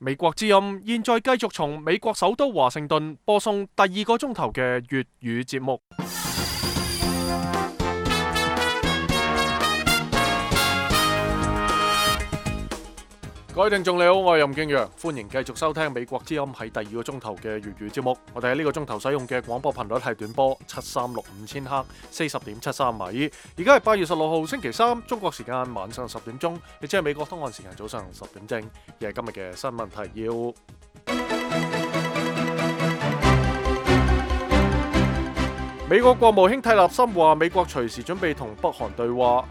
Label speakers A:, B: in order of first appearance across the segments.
A: 美國之音現在繼續從美國首都華盛頓播送第二個鐘頭嘅粵語節目。各位聽眾你好，我係任敬陽，歡迎繼續收聽美國之音喺第二個鐘頭嘅粵語節目。我哋喺呢個鐘頭使用嘅廣播頻率係短波7365千赫40.73米。而家係8月16號星期三，中國時間晚上10點鐘，亦即係美國東岸時間早上10點正。而係今日嘅新聞提要。美國國務卿蒂勒森話，美國隨時準備同北韓對話。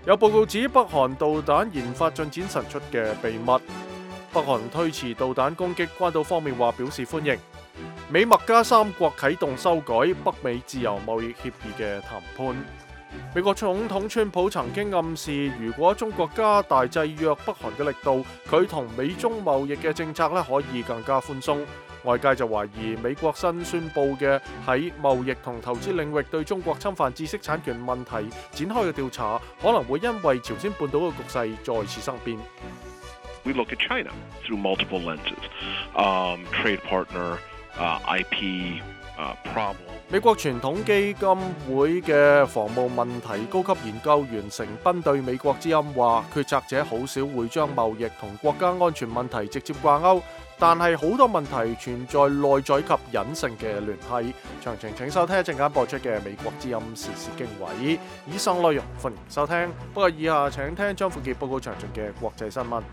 A: 有報告指北韓導彈研發進展神速嘅秘密。北韓推遲導彈攻擊，關島方面話表示歡迎。美墨加三國啟動修改北美自由貿易協議嘅談判。美國總統川普曾經暗示，如果中國加大制約北韓嘅力度，佢同美中貿易嘅政策可以更加寬鬆。外界就懷疑美國新宣布嘅喺貿易同投資領域對中國侵犯知識產權問題展開嘅調查，可能會因為朝鮮半島嘅局勢再次生變。
B: We look at China through multiple lenses, trade partner, IP problem.
A: 美國傳統基金會嘅防務問題高級研究員成斌對美國之音話，決策者好少會將貿易同國家安全問題直接掛鈎，但係好多問題存在內在及隱性嘅聯繫。詳情請收聽一陣間播出嘅美國之音時事經緯。以上內容歡迎收聽，不過以下請聽張富傑報告詳盡嘅國際新聞。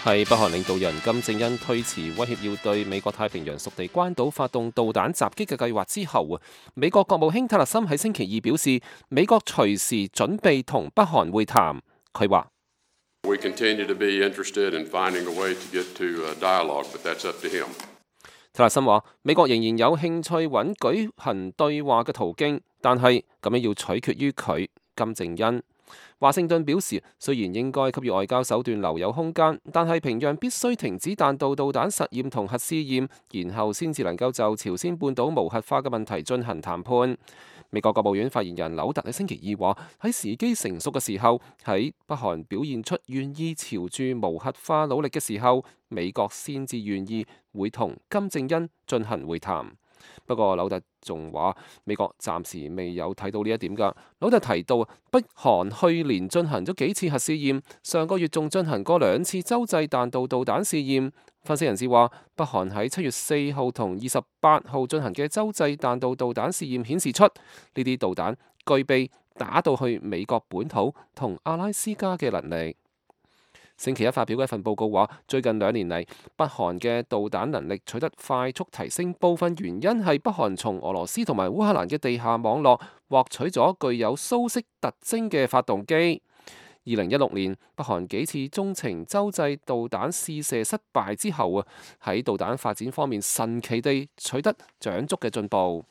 C: 係北韓領導人金正恩推遲威脅要對美國太平洋屬地關島發動導彈襲擊嘅計劃之後，美國國務卿蒂勒森喺星期二表示，美國隨時準備同北韓會談。佢話：蒂勒森話，美國仍然有興趣揾舉行對話嘅途徑，但係咁樣要取決於佢金正恩。華盛頓表示，雖然應該給予外交手段留有空間，但係平壤必須停止彈道導彈實驗同核試驗，然後先至能夠就朝鮮半島無核化嘅問題進行談判。美國國務院發言人紐特喺星期二話，喺時機成熟嘅時候，喺北韓表現出願意朝住無核化努力嘅時候，美國先至願意會同金正恩進行會談。不過紐特仲話，美國暫時未有睇到呢一點㗎。紐特提到，北韓去年進行咗幾次核試驗，上個月仲進行過2次洲際彈道導彈試驗。分析人士話，北韓喺7月4號同28號進行嘅洲際彈道導彈試驗顯示出，呢啲導彈具備打到去美國本土同阿拉斯加嘅能力。星期一發表嘅一份報告話，最近2年嚟，北韓嘅導彈能力取得快速提升，部分原因係北韓從俄羅斯同埋烏克蘭嘅地下網絡獲取咗具有蘇式特徵嘅發動機。2016年，北韓幾次中程洲際導彈試射失敗之後喺導彈發展方面神奇地取得長足嘅進步。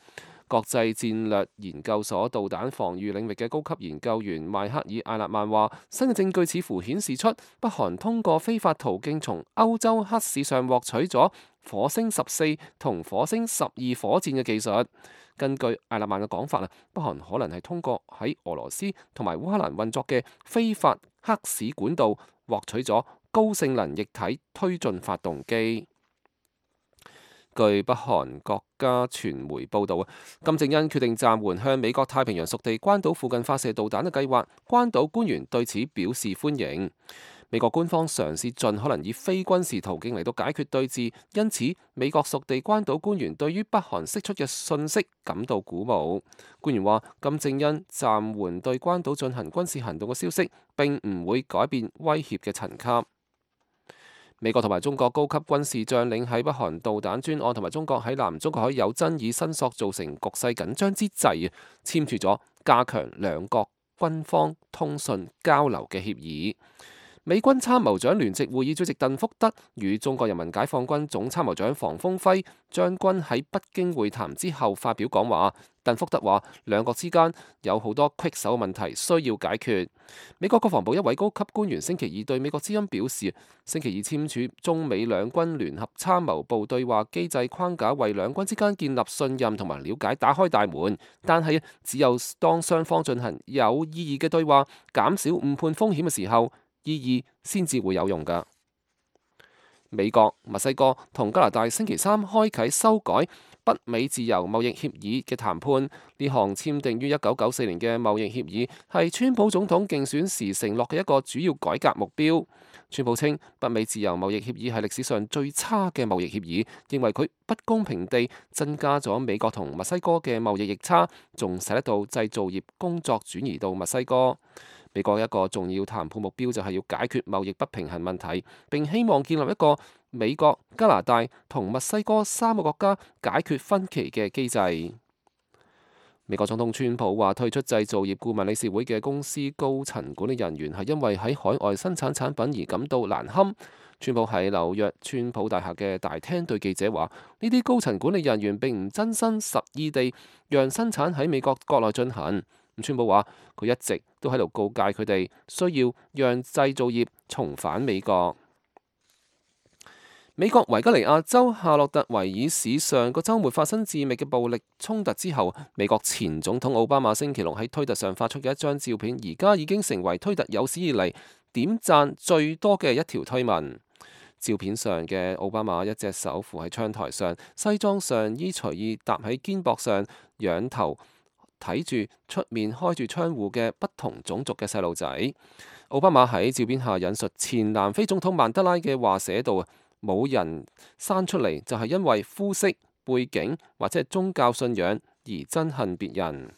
C: 國際戰略研究所導彈防禦領域嘅高級研究員邁克爾艾勒曼話，新嘅證據似乎顯示出北韓通過非法途徑從歐洲黑市上獲取咗火星14同火星12火箭嘅技術。根據艾勒曼嘅講法北韓可能係通過喺俄羅斯同埋烏克蘭運作嘅非法黑市管道獲取咗高性能液體推進發動機。據北韓國家傳媒報道金正恩決定暫緩向美國太平洋屬地關島附近發射導彈嘅計劃，關島官員對此表示歡迎。美國官方嘗試盡可能以非軍事途徑嚟到解決對峙，因此美國屬地關島官員對於北韓釋出嘅訊息感到鼓舞。官員話，金正恩暫緩對關島進行軍事行動嘅消息並唔會改變威脅嘅層級。美國同埋中國高級軍事將領喺北韓導彈專案同埋中國喺南中國海有爭議申索造成局勢緊張之際簽署咗加強兩國軍方通訊交流嘅協議。美軍參謀長聯席會議主席鄧福德與中國人民解放軍總參謀長房峰輝將軍喺北京會談之後發表講話。鄧福德話：兩國之間有好多棘手問題需要解決。美國國防部一位高級官員星期二對美國之音表示，星期二簽署中美兩軍聯合參謀部對話機制框架，為兩軍之間建立信任同埋了解打開大門。但係只有當雙方進行有意義嘅對話，減少誤判風險嘅時候，意義先至會有用㗎。美國、墨西哥同加拿大星期三開啟修改北美自由貿易協議嘅談判。呢項簽訂於1994年嘅貿易協議係川普總統競選時承諾嘅一個主要改革目標。川普稱北美自由貿易協議係歷史上最差嘅貿易協議，認為佢不公平地增加咗美國同墨西哥嘅貿易逆差，仲使得到製造業工作轉移到墨西哥。美國一個重要談判目標就係要解決貿易不平衡問題，並希望建立一個美國、加拿大同墨西哥三個國家解決分歧嘅機制。美國總統川普話退出製造業顧問理事會嘅公司高層管理人員係因為喺海外生產產品而感到難堪。川普喺紐約川普大廈嘅大廳對記者話：呢啲高層管理人員並唔真心實意地讓生產喺美國國內進行。川普話佢一直都喺度告誡佢哋需要讓製造業重返美國。美國維吉尼亞州夏洛特維爾市上個週末發生致命嘅暴力衝突之後，美國前總統奧巴馬星期六喺推特上發出嘅一張照片，而家已經成為推特有史以嚟點讚最多嘅一條推文。照片上嘅奧巴馬一隻手扶喺窗台上，西裝上衣隨意搭喺肩膊上，仰頭睇住出面開住窗戶嘅不同種族嘅細路仔。奧巴馬喺照片下引述前南非總統曼德拉嘅話寫道：冇人生出嚟就係因為膚色、背景或者係宗教信仰而憎恨別人。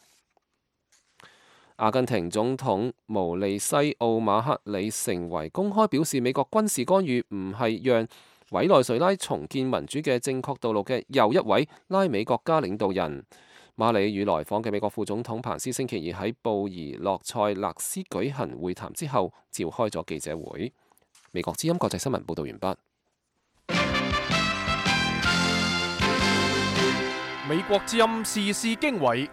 C: 阿根廷總統毛利西奧馬克里成為公開表示美國軍事干預唔係讓委內瑞拉重建民主嘅正確道路嘅又一位拉美國家領導人。馬里與來訪嘅美國副總統彭斯星期二喺布宜諾塞勒斯舉行會談之後，召開咗記者會。美國之音國際新聞報道完畢。
A: 美國之音時事經緯，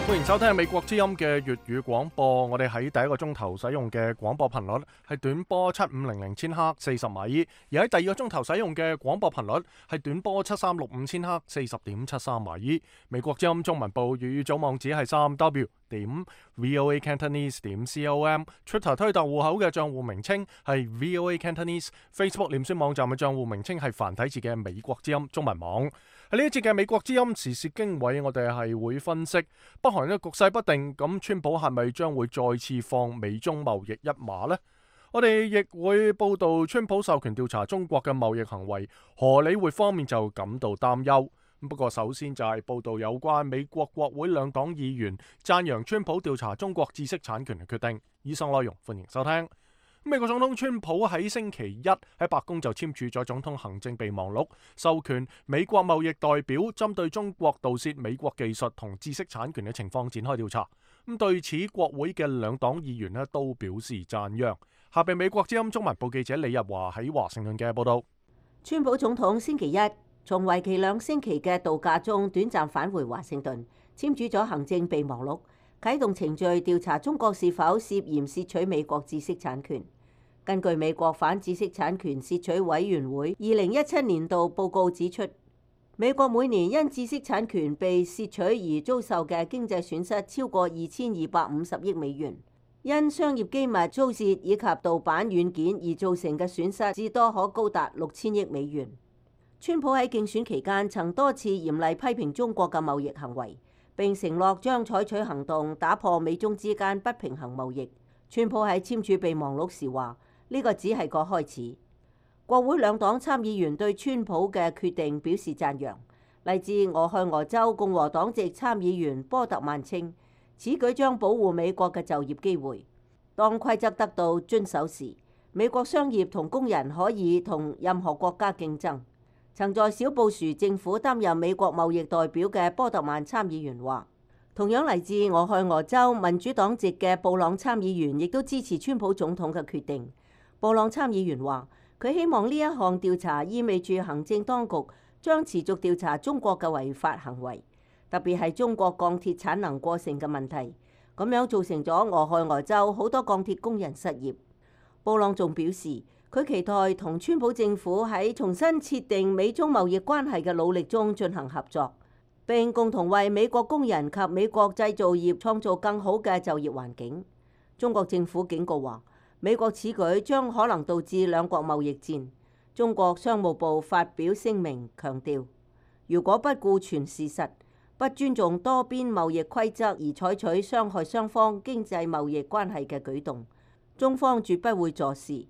A: 歡迎收聽美國之音嘅粵語廣播。我哋喺第一個鐘頭使用嘅廣播頻率係短波7500千赫40米，而喺第二個鐘頭使用嘅廣播頻率係短波7365千赫40.73米。美國之音中文部粵語組網址係3w.voacantonese.com，Twitter 推特戶口嘅賬戶名稱係 VOA Cantonese，Facebook 臉書網站嘅賬戶名稱係繁體字嘅美國之音中文網。喺呢一節嘅美國之音時事經緯，我哋係會分析北韓嘅局勢不定，咁川普係咪將會再次放美中貿易一馬呢？我哋亦會報道川普授權調查中國嘅貿易行為，荷里活方面就感到擔憂。不過首先就係報道有關美國國會兩黨議員讚揚川普調查中國知識產權嘅決定。以上內容歡迎收聽。美國總統川普喺星期一喺白宮就簽署咗總統行政備忘錄，授權美國貿易代表針對中國盜竊美國技術同知識產權嘅情況展開調查。咁對此，國會嘅兩黨議員都表示讚揚。下邊美國之音中文部記者李日華喺華盛頓嘅報道。
D: 川普總統星期一從為期2星期嘅度假中短暫返回華盛頓，簽署咗行政備忘錄，啟動程序調查中國是否涉嫌竊取美國知識產權。根據美國反知識產權竊取委員會2017年度報告指出，美國每年因知識產權被竊取而遭受嘅經濟損失超過2250億美元，因商業機密遭竊以及盜版軟件而造成嘅損失至多可高達6000億美元。川普喺競選期間曾多次嚴厲批評中國嘅貿易行為，並承諾將採取行動打破美中之間不平衡貿易。川普喺簽署備忘錄時話：呢個只係個開始。國會兩黨參議員對川普嘅決定表示讚揚。嚟自俄亥俄州共和黨籍參議員波特曼稱，此舉將保護美國嘅就業機會。當規則得到遵守時，美國商業同工人可以同任何國家競爭。曾在小布殊政府擔任美國貿易代表嘅波特曼參議員話：同樣嚟自俄亥俄州民主黨籍嘅布朗參議員亦都支持川普總統嘅決定。布朗參議員話：佢希望呢一項調查意味住行政當局將持續調查中國嘅違法行為，特別係中國鋼鐵產能過剩嘅問題，咁樣造成咗俄亥俄州好多鋼鐵工人失業。布朗仲表示，佢期待同川普政府喺重新設定美中貿易關係嘅努力中進行合作，並共同為美國工人及美國製造業創造更好嘅就業環境。中國政府警告話，美國此舉將可能導致兩國貿易戰。中國商務部發表聲明強調，如果不顧全事實，不尊重多邊貿易規則而採取傷害雙方經濟貿易關係嘅舉動，中方絕不會坐視。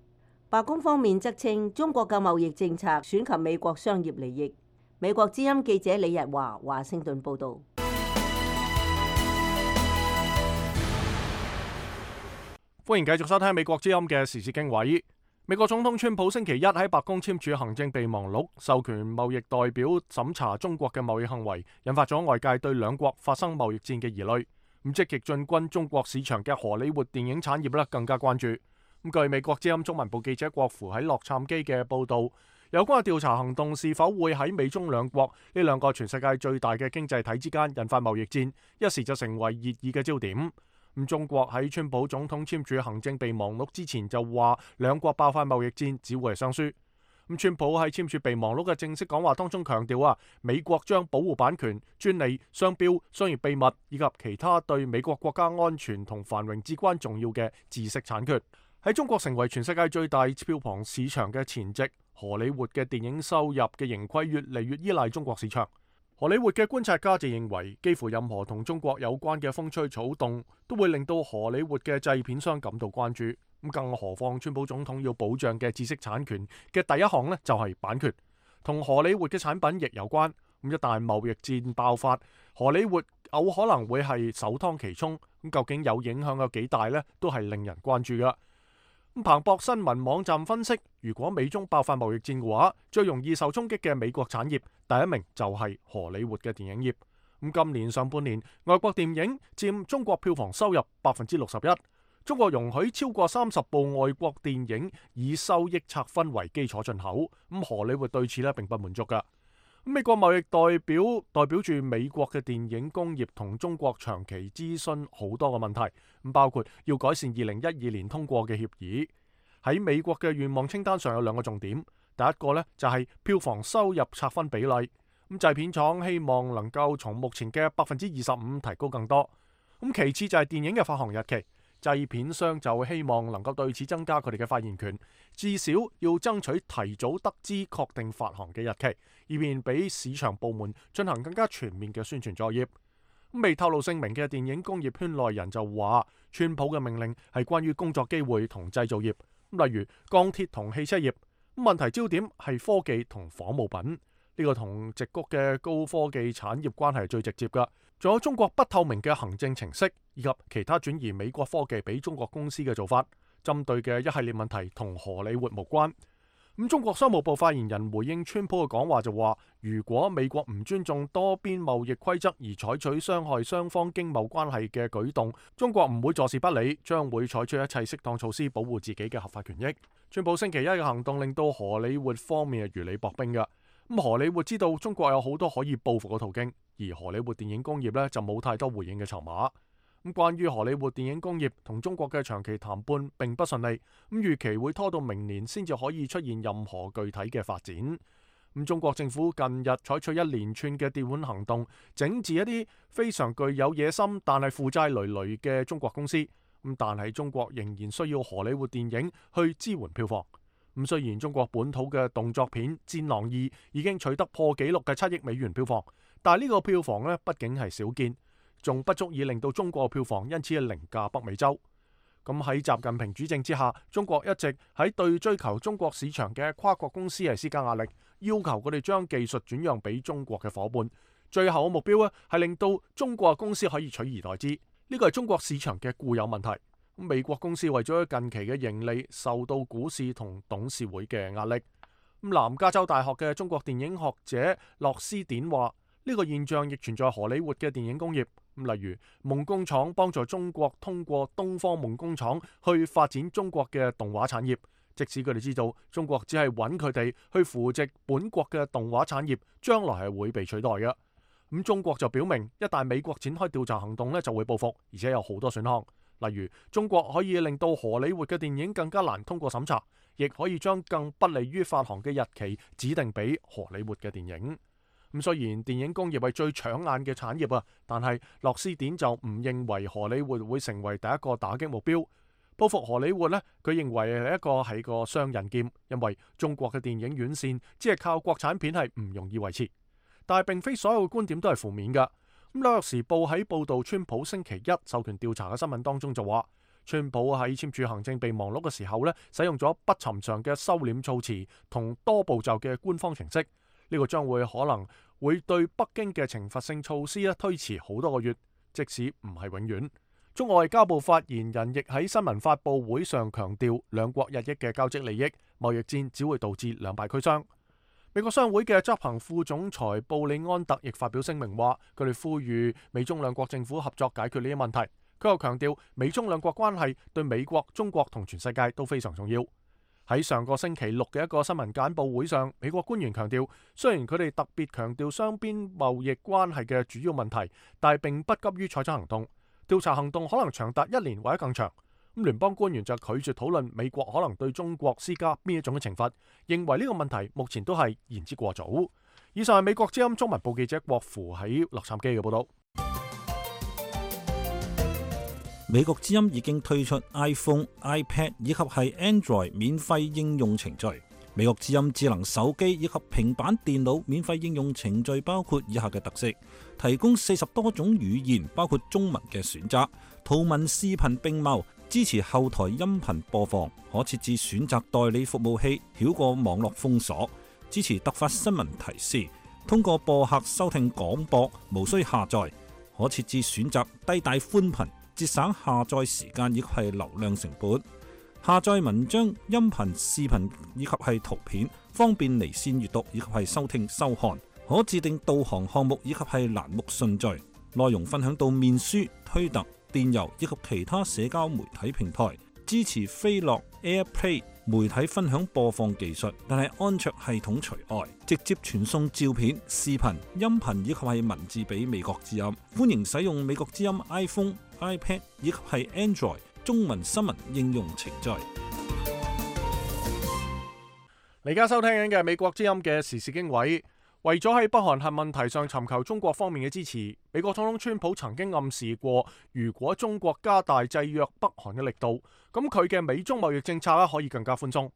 D: 白宮方面則稱，中國嘅貿易政策損及美國商業利益。美國之音記者李日華華盛頓報導。
A: 歡迎繼續收聽美國之音嘅時事經緯。美國總統川普星期一喺白宮簽署行政備忘錄，授權貿易代表審查中國嘅貿易行為，引發咗外界對兩國發生貿易戰嘅疑慮。咁積極進軍中國市場嘅荷里活電影產業更加關注。咁據美國之音中文部記者郭芙喺洛杉磯嘅報導，有關嘅調查行動是否會喺美中兩國呢兩個全世界最大嘅經濟體之間引發貿易戰，一時就成為熱議嘅焦點。咁中國喺川普總統簽署行政備忘錄之前就話，兩國爆發貿易戰只會係雙輸。咁川普喺簽署備忘錄嘅正式講話當中強調美國將保護版權、專利、商標、商業秘密以及其他對美國國家安全同繁榮至關重要嘅知識產權。喺中國成為全世界最大票房市場嘅前夕，荷里活嘅電影收入嘅盈虧越嚟越依賴中國市場。荷里活嘅觀察家就認為，幾乎任何同中國有關嘅風吹草動都會令到荷里活嘅製片商感到關注。咁更何況川普總統要保障嘅知識產權嘅第一項呢，就係版權，同荷里活嘅產品亦有關。咁一旦貿易戰爆發，荷里活有可能會係首當其衝。咁究竟有影響有幾大呢？都係令人關注㗎。彭博新聞網站分析，如果美中爆發貿易戰嘅話，最容易受衝擊嘅美國產業第一名就係荷里活嘅電影業。咁今年上半年，外國電影佔中國票房收入61%，中國容許超過30部外國電影以收益拆分為基礎進口。咁荷里活對此並不滿足㗎。美國貿易代表住美國嘅電影工業同中國長期諮詢好多個問題，包括要改善2012年通過嘅協議。喺美國嘅願望清單上有兩個重點，第一個就係票房收入拆分比例，咁製片廠希望能夠從目前嘅25%提高更多。咁其次就係電影嘅發行日期，製片商就希望能夠對此增加佢哋嘅發言權，至少要爭取提早得知確定發行嘅日期，以便俾市場部門進行更加全面嘅宣傳作業。未透露姓名嘅電影工業圈內人就話，川普嘅命令係關於工作機會同製造業，例如鋼鐵同汽車業。問題焦點係科技同仿冒品，呢個同矽谷嘅高科技產業關係係最直接㗎。仲有中國不透明嘅行政程式，以及其他轉移美國科技俾中國公司嘅做法，針對嘅一系列問題同荷里活無關。中國商務部發言人回應川普嘅講話就話，如果美國唔尊重多邊貿易規則而採取傷害雙方經貿關係嘅舉動，中國唔會坐視不理，將會採取一切適當措施保護自己嘅合法權益。川普星期一嘅行動令到荷里活方面係如履薄冰㗎。荷里活知道中國有好多可以報復嘅途徑，而荷里活電影工業就冇太多回應嘅籌碼。關於荷里活電影工業同中國嘅長期談判並不順利，預期會拖到明年先至可以出現任何具體嘅發展。中國政府近日採取一連串嘅調換行動，整治一啲非常具有野心但係負債累累嘅中國公司。但係中國仍然需要荷里活電影去支援票房。雖然中國本土嘅動作片《戰狼2》已經取得破紀錄嘅7億美元票房，但係呢個票房畢竟係少見，仲不足以令到中國票房因此凌駕北美洲。喺習近平主政之下，中國一直喺對追求中國市場嘅跨國公司施加壓力，要求佢哋將技術轉讓俾中國嘅伙伴。最後嘅目標係令到中國嘅公司可以取而代之。呢個係中國市場嘅固有問題。美國公司為咗近期嘅盈利，受到股市同董事會嘅壓力。南加州大學嘅中國電影學者洛斯典話：呢個現象亦存在荷里活嘅電影工業。例如夢工廠幫助中國通過東方夢工廠去發展中國嘅動畫產業，即使佢哋知道中國只係揾佢哋去扶植本國嘅動畫產業，將來係會被取代嘅。咁中國就表明，一旦美國展開調查行動呢，就會報復，而且有好多選項。例如中國可以令到荷里活嘅電影更加難通過審查，亦可以將更不利於發行嘅日期指定俾荷里活嘅電影。咁雖然電影工業係最搶眼嘅產業啊，但係樂施典就唔認為荷里活會成為第一個打擊目標。報復荷里活呢，佢認為係個雙刃劍，因為中國嘅電影院線只係靠國產片係唔容易維持。但係並非所有嘅觀點都係負面㗎。咁紐約時報喺報導川普星期一授權調查嘅新聞當中就話，川普喺簽署行政備忘錄嘅時候呢，使用咗不尋常嘅收斂措辭同多步驟嘅官方程式。呢個將會可能會對北京嘅懲罰性措施推遲好多個月，即使唔係永遠。中外交部發言人亦喺新聞發佈會上強調，兩國日益嘅交織利益，貿易戰只會導致兩敗俱傷。美國商會嘅執行副總裁布里安特亦發表聲明話，佢哋呼籲美中兩國政府合作解決呢啲問題。佢又強調，美中兩國關係對美國、中國同全世界都非常重要。喺上個星期六嘅一個新聞簡報會上，美國官員強調，雖然佢哋特別強調雙邊貿易關係嘅主要問題，但係並不急於採取行動。調查行動可能長達1年或者更長。咁聯邦官員就拒絕討論美國可能對中國施加邊一種嘅懲罰，認為呢個問題目前都係言之過早。以上係美國之音中文部記者郭芙喺洛杉磯嘅報道。
E: 美國之音已經推出 iPhone、iPad 以及係 Android 免費應用程序。美國之音智能手機以及平板電腦免費應用程序包括以下嘅特色：提供40多種語言，包括中文嘅選擇，圖文視頻並茂，支持後台音頻播放，可設置選擇代理服務器，繞過網絡封鎖，支持突發新聞提示，通過播客收聽廣播，無需下載，可設置選擇低帶寬頻，節省下載時間以及係流量成本。下載文章、音頻、視頻以及係圖片，方便離線閱讀以及係收聽收看。可自定導航項目以及係欄目順序。內容分享到面書、推特、電郵以及其他社交媒體平台。支持飛樂、AirPlay 媒體分享播放技術，但係安卓系統除外。直接傳送照片、視頻、音頻以及係文字俾美國之音。歡迎使用美國之音 iPhone、iPad 以及係 Android中文新聞應用程序。
A: 你而家收聽緊嘅美國之音嘅時事經緯，為咗喺北韓核問題上尋求中國方面嘅支持，美國總統川普曾經暗示過，如果中國加大制約北韓嘅力度，咁佢嘅美中貿易政策可以更加寬鬆。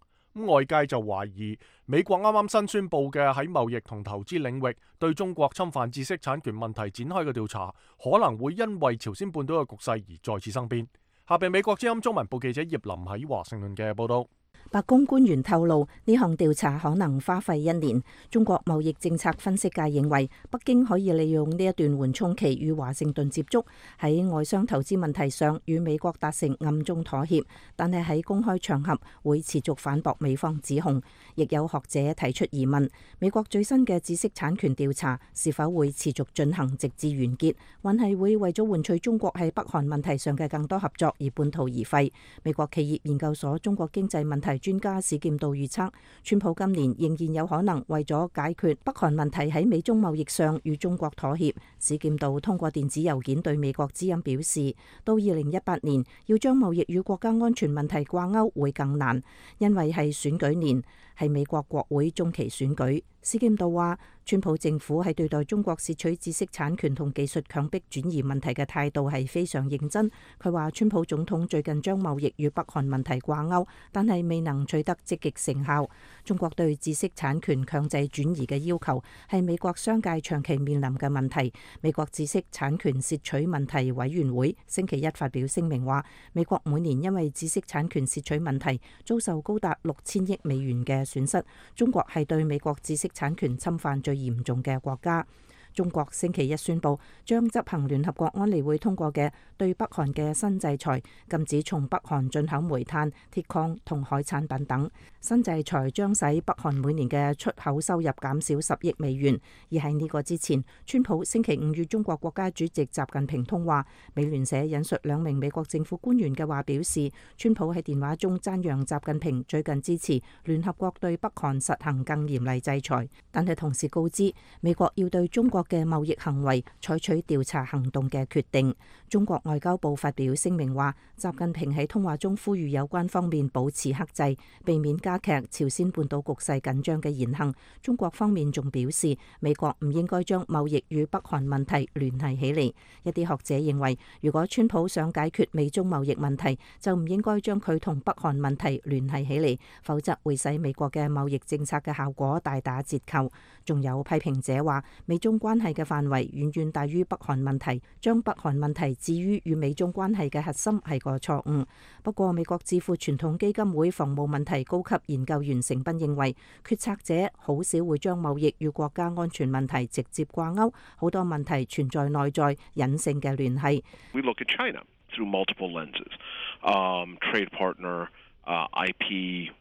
A: 外界就懷疑美國啱啱新宣布嘅喺貿易同投資領域對中國侵犯知識產權問題展開嘅調查，可能會因為朝鮮半島嘅局勢而再次生變。下邊美國之音中文部記者葉林喺華盛頓嘅報道。
F: 白宮官員透露，呢項調查可能花費1年。中國貿易政策分析界認為，北京可以利用呢一段緩衝期與華盛頓接觸，喺外商投資問題上與美國達成暗中妥協，但係喺公開場合會持續反駁美方指控。亦有學者提出疑問，美國最新嘅知識產權調查是否會持續進行直至完結，還係會為咗換取中國喺北韓問題上嘅更多合作而半途而廢？美國企業研究所中國經濟問題專家史劍道預測，川普今年仍然有可能為咗解決北韓問題喺美中貿易上與中國妥協。史劍道通過電子郵件對美國之音表示，到2018年要將貿易與國家安全問題掛鈎會更難，因為係選舉年，係美國國會中期選舉。史劍道話，川普政府喺對待中國竊取知識產權同技術強迫轉移問題嘅態度係非常認真。佢話，川普總統最近將貿易與北韓問題掛鈎，但係未能取得積極成效。中國對知識產權強制轉移嘅要求係美國商界長期面臨嘅問題。美國知識產權竊取問題委員會星期一發表聲明話，美國每年因為知識產權竊取問題遭受高達6000億美元嘅損失。中國係對美國知識產權侵犯最嚴重嘅國家。中國星期一宣布將執行聯合國安理會通過嘅對北韓嘅新制裁，禁止從北韓進口煤炭、鐵礦同海產品等。新制裁將使北韓每年嘅出口收入減少10億美元。而喺呢個之前，川普星期五與中國國家主席習近平通話。美聯社引述2名美國政府官員嘅話表示，川普喺電話中讚揚習近平最近支持聯合國對北韓實行更嚴厲制裁，但係同時告知美國要對中國嘅貿易行為採取調查行動嘅決定。中國外交部發表聲明話，習近平喺通話中呼籲有關方面保持克制，避免加劇朝鮮半島局勢緊張嘅言行。中國方面仲表示，美國唔應該將貿易與北韓問題聯繫起嚟。一啲學者認為，如果川普想解決美中貿易問題，就唔應該將佢同北韓問題聯繫起嚟，否則會使美國嘅貿易政策嘅效果大打折扣。仲有批評者話，美中關係嘅範圍遠遠大於北韓問題，將北韓問題置於與美中關係嘅核心係個錯誤。不過，美國智庫傳統基金會防務問題高級研究員成斌認為，決策者好少會將貿易與國家安全問題直接掛鈎，好多問題存在內在隱性嘅聯繫。
B: We look at China through multiple lenses, trade partner, IP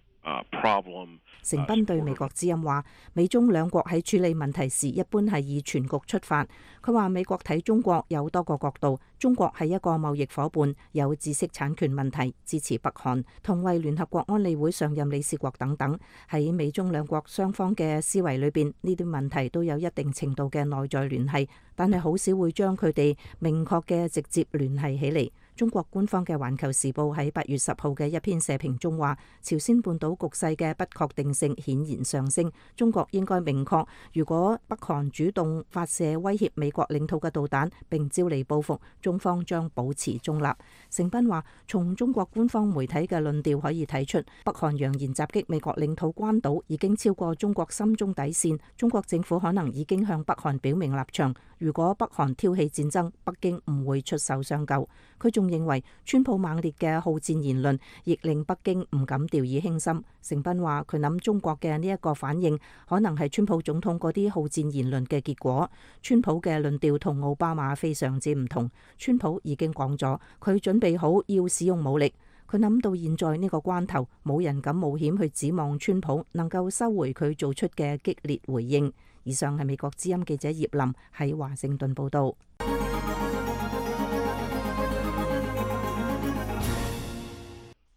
B: problem.
F: 成斌對美國之音話，美中兩國喺處理問題時一般係以全局出發。佢話美國睇中國有多個角度，中國係一個貿易夥伴，有知識產權問題，支持北韓，同為聯合國安理會上任理事國等等。喺美中兩國雙方嘅思維裏邊，呢啲問題都有一定程度嘅內在聯繫，但係好少會將佢哋明確嘅直接聯繫起嚟。中國官方嘅《環球時報》喺8月10號嘅一篇社評中話，朝鮮半島局勢嘅不確定性顯然上升，中國應該明確，如果北韓主動發射威脅美國領土嘅導彈並招嚟報復，中方將保持中立。成斌話，從中國官方媒體嘅論調可以睇出，北韓揚言襲擊美國領土關島已經超過中國心中底線，中國政府可能已經向北韓表明立場，如果北韓挑起戰爭，北京唔會出手相救。佢仲認為川普猛烈嘅好戰言論亦令北京唔敢掉以輕心。成斌話，佢諗中國嘅呢一個反應可能係川普總統嗰啲好戰言論嘅結果。川普嘅論調同奧巴馬非常之唔同。川普已經講咗，佢準備好要使用武力。佢諗到現在呢個關頭，冇人敢冒險去指望川普能夠收回佢做出嘅激烈回應。以上係美國之音記者葉林喺華盛頓報道。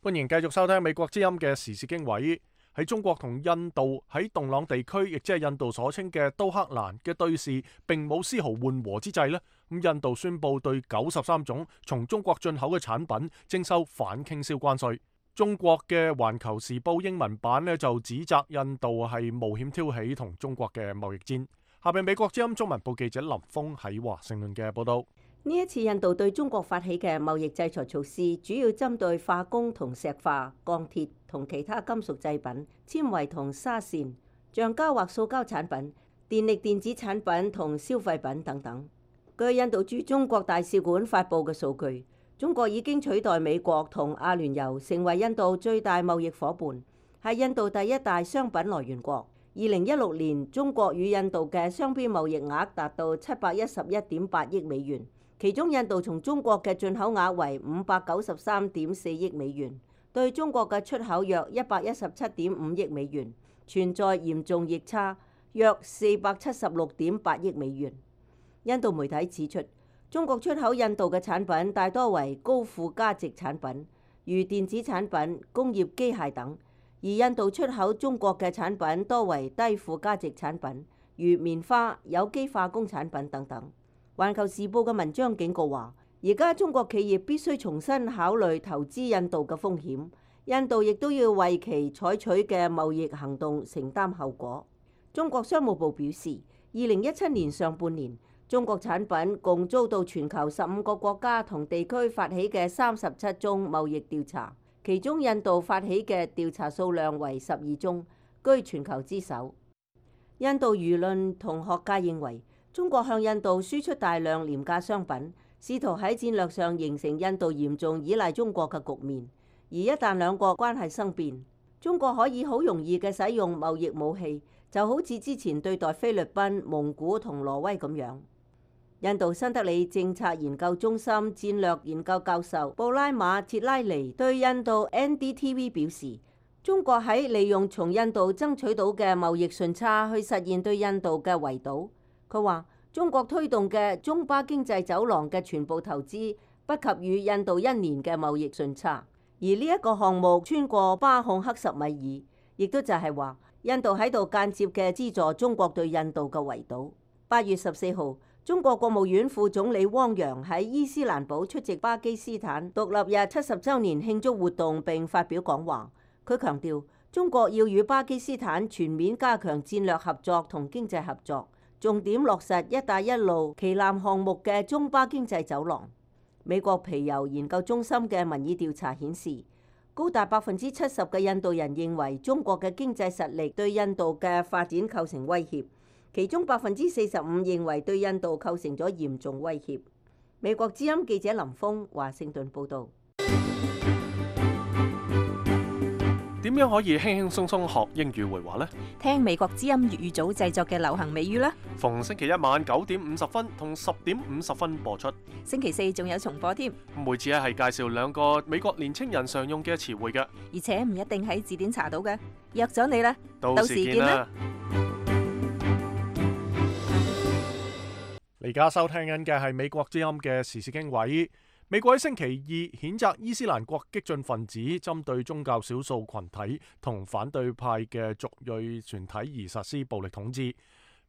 A: 歡迎繼續收聽美國之音嘅時事經緯。喺中國同印度喺洞朗地區，亦即係印度所稱嘅都克蘭嘅對峙並冇絲毫緩和之際呢，咁印度宣布對93種從中國進口嘅產品徵收反傾銷關稅。中國嘅《環球時報》英文版呢就指責印度係冒險挑起同中國嘅貿易戰。下邊美國之音中文部記者林峰喺華盛頓嘅報道。
D: 呢一次印度對中國發起嘅貿易制裁措施，主要針對化工同石化、鋼鐵同其他金屬製品、纖維同紗線、橡膠或塑膠產品、電力電子產品同消費品等等。據印度駐中國大使館發布嘅數據，中國已經取代美國同阿聯酋成為印度最大貿易夥伴，係印度第一大商品來源國。2016年，中國與印度嘅雙邊貿易額達到711.8億美元。其中印度從中國嘅進口額為593.4億美元，對中國嘅出口約117.5億美元，存在嚴重逆差約476.8億美元。印度媒體指出，中國出口印度嘅產品大多為高附加值產品，如電子產品、工業機械等，而印度出口中國嘅產品多為低附加值產品，如棉花、有機化工產品等等。環球時報嘅文章警告話，而家中國企業必須重新考慮投資印度嘅風險，印度亦都要為其採取嘅貿易行動承擔後果。中國商務部表示，2017年上半年，中國產品共遭到全球15個國家同地區發起嘅37宗貿易調查，其中印度發起嘅調查數量為12宗，居全球之首。印度輿論同學界認為，中國向印度輸出大量廉價商品，試圖喺戰略上形成印度嚴重依賴中國嘅局面。而一旦兩國關係生變，中國可以好容易嘅使用貿易武器，就好似之前對待菲律賓、蒙古同挪威咁樣。印度新德里政策研究中心戰略研究教授布拉馬切拉尼對印度 NDTV 表示，中國喺利用從印度爭取到嘅貿易順差去實現對印度嘅圍堵。佢話中國推動嘅中巴經濟走廊嘅全部投資不及與印度一年嘅貿易順差，而呢一個項目穿過巴控克什米爾，亦都就係話印度喺度間接嘅資助中國對印度嘅圍堵。8月14號，中國國務院副總理汪洋喺伊斯蘭堡出席巴基斯坦獨立日70週年慶祝活動並發表講話。佢強調，中國要與巴基斯坦全面加強戰略合作同經濟合作，重點落實一帶一路旗艦項目嘅中巴經濟走廊。美國皮尤研究中心嘅民意調查顯示，高達70%嘅印度人認為中國嘅經濟實力對印度嘅發展構成威脅。其中45%認為對印度構成咗嚴重威脅。美國之音記者林峰華盛頓報導。
A: 點樣可以輕輕鬆鬆學英語會話呢？
F: 聽美國之音粵語組製作嘅流行美語啦。
A: 逢星期一晚9點50分同10點50分播出。
F: 星期四仲有重播添。
A: 每次係介紹2個美國年青人常用嘅詞彙嘅，
F: 而且唔一定喺字典查到嘅。約咗你啦，
A: 到時見啦。你而家收聽緊嘅係美國之音嘅時事經緯。美國喺星期二譴責伊斯蘭國激進分子針對宗教少數群體同反對派嘅族裔團體而實施暴力統治。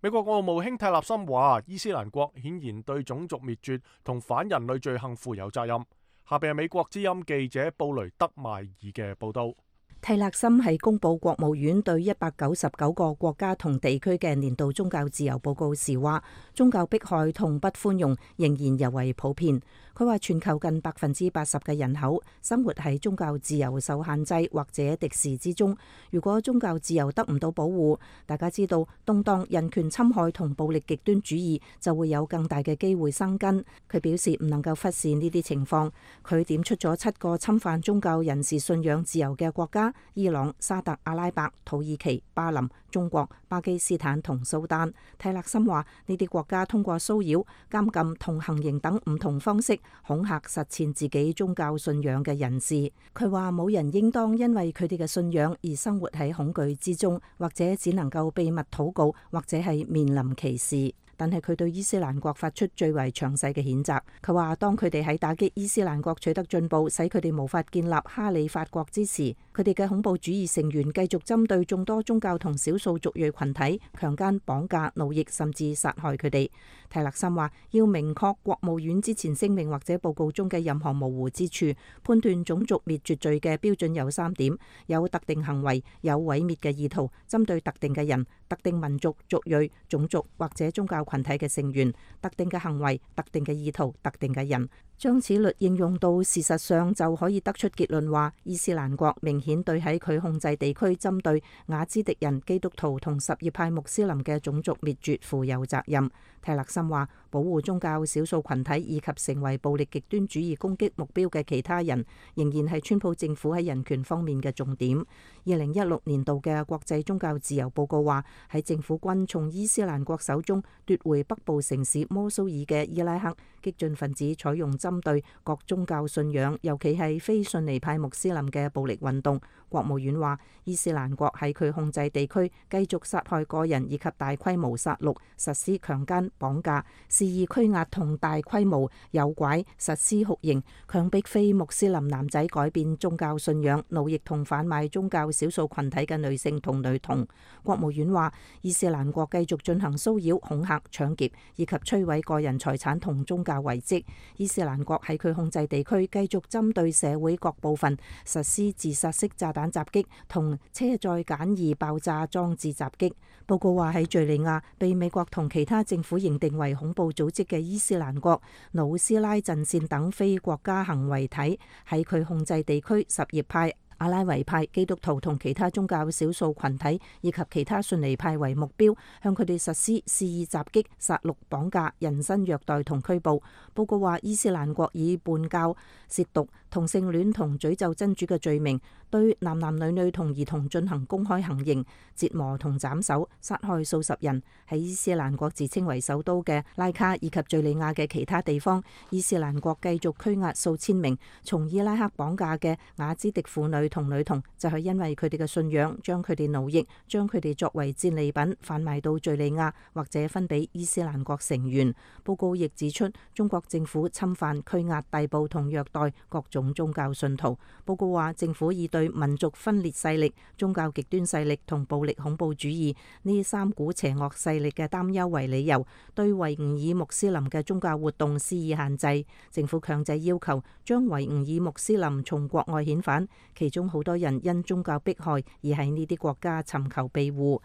A: 美國國務卿泰勒森話，伊斯蘭國顯然對種族滅絕同反人類罪行負有責任。下邊係美國之音記者布雷德邁爾嘅報道。
F: 泰勒森係公佈國務院對199個國家同地區嘅年度宗教自由報告時話，宗教迫害同不寬容仍然尤為普遍。佢話全球近80%嘅人口生活喺宗教自由受限制或者敵視之中。如果宗教自由得唔到保護，大家知道動盪、人權侵害同暴力極端主義就會有更大嘅機會生根。佢表示唔能夠忽視呢啲情況。佢點出咗7個侵犯宗教人士信仰自由嘅國家：伊朗、沙特阿拉伯、土耳其、巴林、中國、巴基斯坦同蘇丹。泰勒森話呢啲國家通過騷擾、監禁同行刑等唔同方式恐嚇實踐自己宗教信仰嘅人士。佢話冇人應當因為佢哋嘅信仰而生活喺恐懼之中，或者只能夠秘密禱告，或者係面臨歧視。但係佢對伊斯蘭國發出最為詳細嘅譴責。佢話當佢哋喺打擊伊斯蘭國取得進步，使佢哋無法建立哈里發國之時，佢哋嘅恐怖主義成員繼續針對眾多宗教同少數族裔群體，強姦、綁架、奴役，甚至殺害佢哋。泰勒森話要明確國務院之前聲明或者報告中嘅任何模糊之處，判斷種族滅絕罪嘅標準有3點：有特定行為，有毀滅嘅意圖，針對特定嘅人、特定民族、族裔、種族或者宗教群體嘅成員，特定嘅行為、特定嘅意圖、特定嘅人。將此律應用到事實上，就可以得出結論話，伊斯蘭國明顯對喺佢控制地區針對雅茲迪人、基督徒同什葉派穆斯林嘅種族滅絕負有責任。泰勒森話，保護宗教少數群體以及成為暴力極端主義攻擊目標嘅其他人，仍然係川普政府喺人權方面嘅重點。2016年度嘅國際宗教自由報告話，喺政府軍從伊斯蘭國手中奪回北部城市摩蘇爾嘅伊拉克，激進分子採用針對各宗教信仰，尤其係非遜尼派穆斯林嘅暴力運動。國務院話，伊斯蘭國喺佢控制地區繼續殺害個人以及大規模殺戮，實施強姦、綁架、肆意拘押同大規模誘拐，實施酷刑，強迫非穆斯林男仔改變宗教信仰，奴役同販賣宗教少數群體嘅女性同女童。國務院話，伊斯蘭國繼續進行騷擾、恐嚇、搶劫以及摧毀個人財產同宗教遺跡。伊斯蘭國喺佢控制地區繼續針對社會各部分實施自殺式炸彈襲擊同車載簡易爆炸裝置襲擊。報告話喺敘利亞被美國同其他政府認定為恐怖組織嘅伊斯蘭國、努斯拉陣線等非國家行為體喺佢控制地區什葉派阿拉維派、基督徒同其他宗教少數群體以及其他遜尼派為目標，向佢哋實施肆意襲擊、殺戮、綁架、人身虐待同拘捕。報告話，伊斯蘭國以叛教、褻瀆、同性戀同詛咒真主嘅罪名，對男男女女同兒童進行公開行刑、折磨同斬首，殺害數十人。喺伊斯蘭國自稱為首都嘅拉卡以及敘利亞嘅其他地方，伊斯蘭國繼續拘押數千名從伊拉克綁架嘅雅茲迪婦女同女童，就係因為佢哋嘅信仰，將佢哋奴役，將佢哋作為戰利品販賣到敘利亞或者分俾伊斯蘭國成員。報告亦指出，中國政府侵犯、拘押、逮捕同虐待各種宗教信徒。報告話，政府以對民族分裂勢力、宗教極端勢力同暴力恐怖主義呢三股邪惡勢力嘅擔憂為理由，對維吾爾穆斯林嘅宗教活動施以限制。政府強制要求將維吾爾穆斯林從國外遣返，其中好多人因宗教迫害而喺呢啲國家尋求庇護。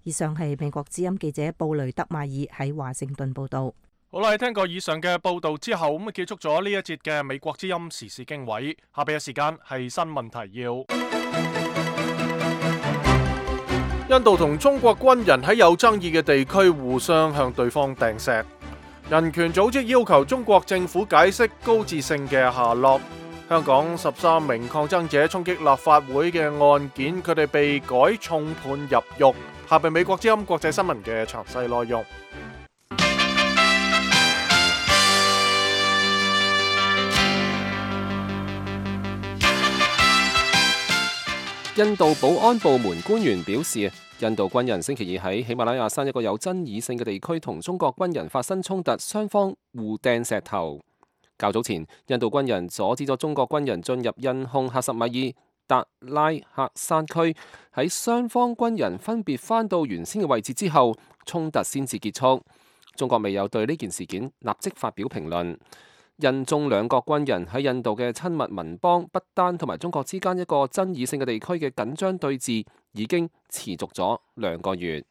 F: 以上係美國之音記者布雷德馬爾喺華盛頓報道。
A: 好啦，聽過以上嘅報道之後，咁結束咗呢一節嘅美國之音時事經緯。下邊嘅時間係新聞提要。印度同中國軍人喺有爭議嘅地區互相向對方掟石。人權組織要求中國政府解釋高志勝嘅下落。香港13名抗爭者衝擊立法會嘅案件，佢哋被改重判入獄。下邊美國之音國際新聞嘅詳細內容。
C: 印度保安部門官員表示，印度軍人星期二喺喜馬拉雅山一個有爭議性嘅地區同中國軍人發生衝突，雙方互掟石頭。較早前，印度軍人阻止咗中國軍人進入印控喀什米爾達拉克山區，喺雙方軍人分別返到原先嘅位置之後，衝突先至結束。中國未有對呢件事件立即發表評論。印中兩國軍人喺印度嘅親密鄰邦不丹同埋中國之間一個爭議性嘅地區嘅緊張對峙已經持續咗2個月。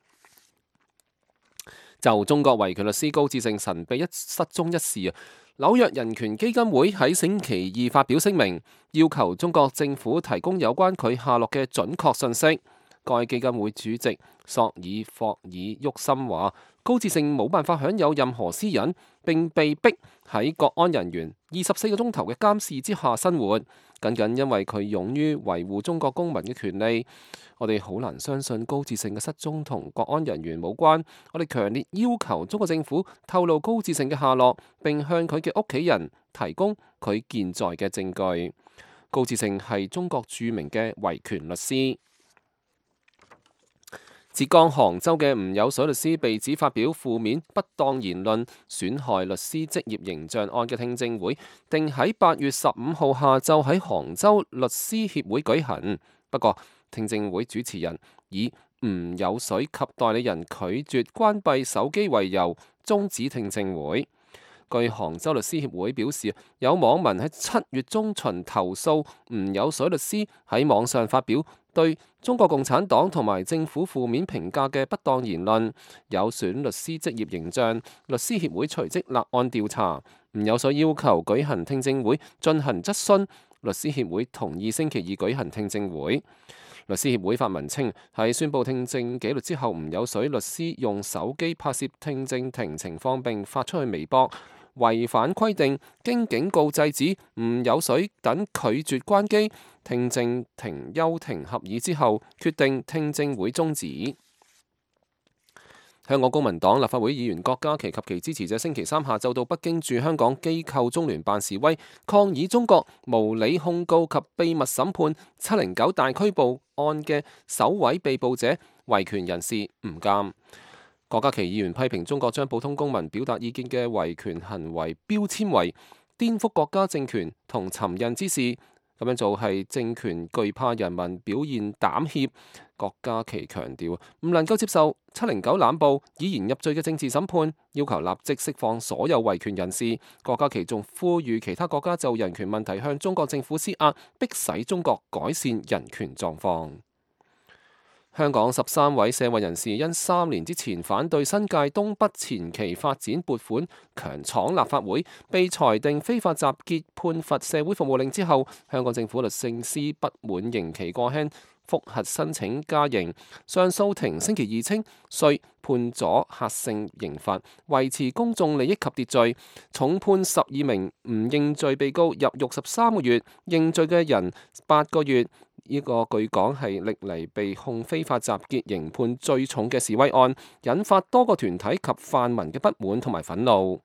C: 就中國維權律師高志勝神秘失蹤一事，紐約人權基金會喺星期二發表聲明，要求中國政府提供有關佢下落嘅準確信息。該基金會主席索爾霍爾沃森話，高志勝冇辦法享有任何私隱，並被逼喺國安人員24個鐘頭嘅監視之下生活，僅僅因為佢勇於維護中國公民嘅權利。我哋好難相信高志勝嘅失蹤同國安人員無關。我哋強烈要求中國政府透露高志勝嘅下落，並向佢嘅屋企人提供佢健在嘅證據。高志勝係中國著名嘅維權律師。浙江杭州嘅吳有水律師被指發表負面不當言論，損害律師職業形象案嘅聽證會定喺8月15號下晝喺杭州律師協會舉行。不過，聽證會主持人以吳有水及代理人拒絕關閉手機為由，終止聽證會。據杭州律師協會表示，有網民喺7月中旬投訴吳有水律師喺網上發表對中國共產黨同埋政府負面評價嘅不當言論，有損律師職業形象。律師協會隨即立案調查。吳有水要求舉行聽證會進行質詢，律師協會同意星期二舉行聽證會。律師協會發文稱，喺宣布聽證紀律之後，吳有水律師用手機拍攝聽證庭情況並發出去微博，違反規定，經警告制止，吳有水等拒絕關機。聽證庭休庭合議之後，決定聽證會終止。香港公民黨立法會議員郭家麒及其支持者星期三下晝到北京駐香港機構中聯辦示威，抗議中國無理控告及秘密審判709大拘捕案嘅首位被捕者維權人士吳鑑。郭家麒議員批評中國將普通公民表達意見嘅維權行為標籤為顛覆國家政權同尋釁之事。咁樣做係政權懼怕人民表現膽怯。郭家麒強調唔能夠接受709濫捕以言入罪嘅政治審判，要求立即釋放所有維權人士。郭家麒仲呼籲其他國家就人權問題向中國政府施壓，迫使中國改善人權狀況。香港13位社運人士因3年之前反對新界東北前期發展撥款強闖立法會，被裁定非法集結判罰社會服務令之後，香港政府律政司不滿刑期過輕，覆核申請加刑。上訴庭星期二稱需判咗核性刑罰，維持公眾利益及秩序，重判12名唔認罪被告入獄13個月，認罪嘅人8個月。呢個據講係歷嚟被控非法集結刑判最重嘅示威案，引發多個團體及泛民嘅不滿同埋憤怒。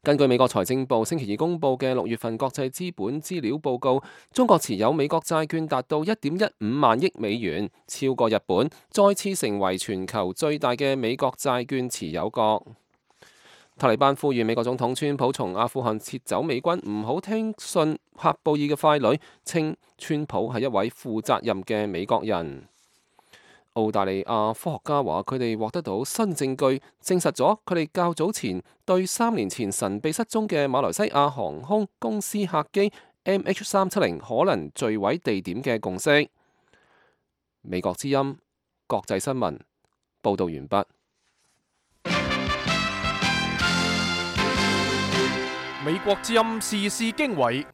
C: 根據美國財政部星期二公佈嘅6月份國際資本資料報告，中國持有美國債券達到1.15萬億美元，超過日本，再次成為全球最大嘅美國債券持有國。塔利班呼籲美國總統川普從阿富汗撤走美軍，唔好聽信喀布爾嘅傀儡，稱川普係一位負責任嘅美國人。澳大利亞科學家話，佢哋獲得到新證據，證實咗佢哋較早前對3年前神秘失蹤嘅馬來西亞航空公司客機 MH370 可能墜毀地點嘅共識。美國之音國際新聞報導完畢。
A: 美國之音時事經緯。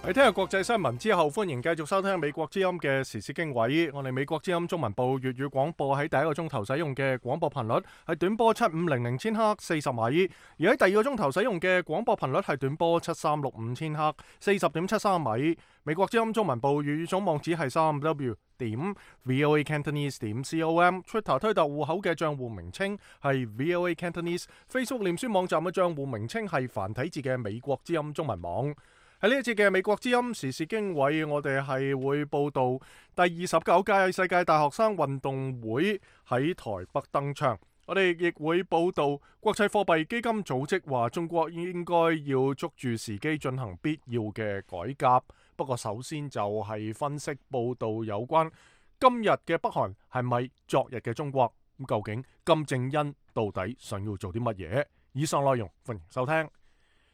A: 喺聽日國際新聞之後，歡迎繼續收聽美國之音嘅時事經緯。我哋美國之音中文部粵語廣播喺第一個鐘頭使用嘅廣播頻率係短波7500千赫40米，而喺第二個鐘頭使用嘅廣播頻率係短波7365千赫40.73米。美國之音中文部粵語總網址係3w.voacantonese.com，Twitter 推特戶口嘅賬戶名稱係 VOA Cantonese，Facebook 臉書網站嘅賬戶名稱係繁體字嘅美國之音中文網。喺呢一節嘅美國之音時事經緯，我哋係會報道第29屆世界大學生運動會喺台北登場。我哋亦會報道國際貨幣基金組織話中國應該要捉住時機進行必要嘅改革。不過首先就係分析報道有關今日嘅北韓係咪昨日嘅中國？咁究竟金正恩到底想要做啲乜嘢？以上內容歡迎收聽。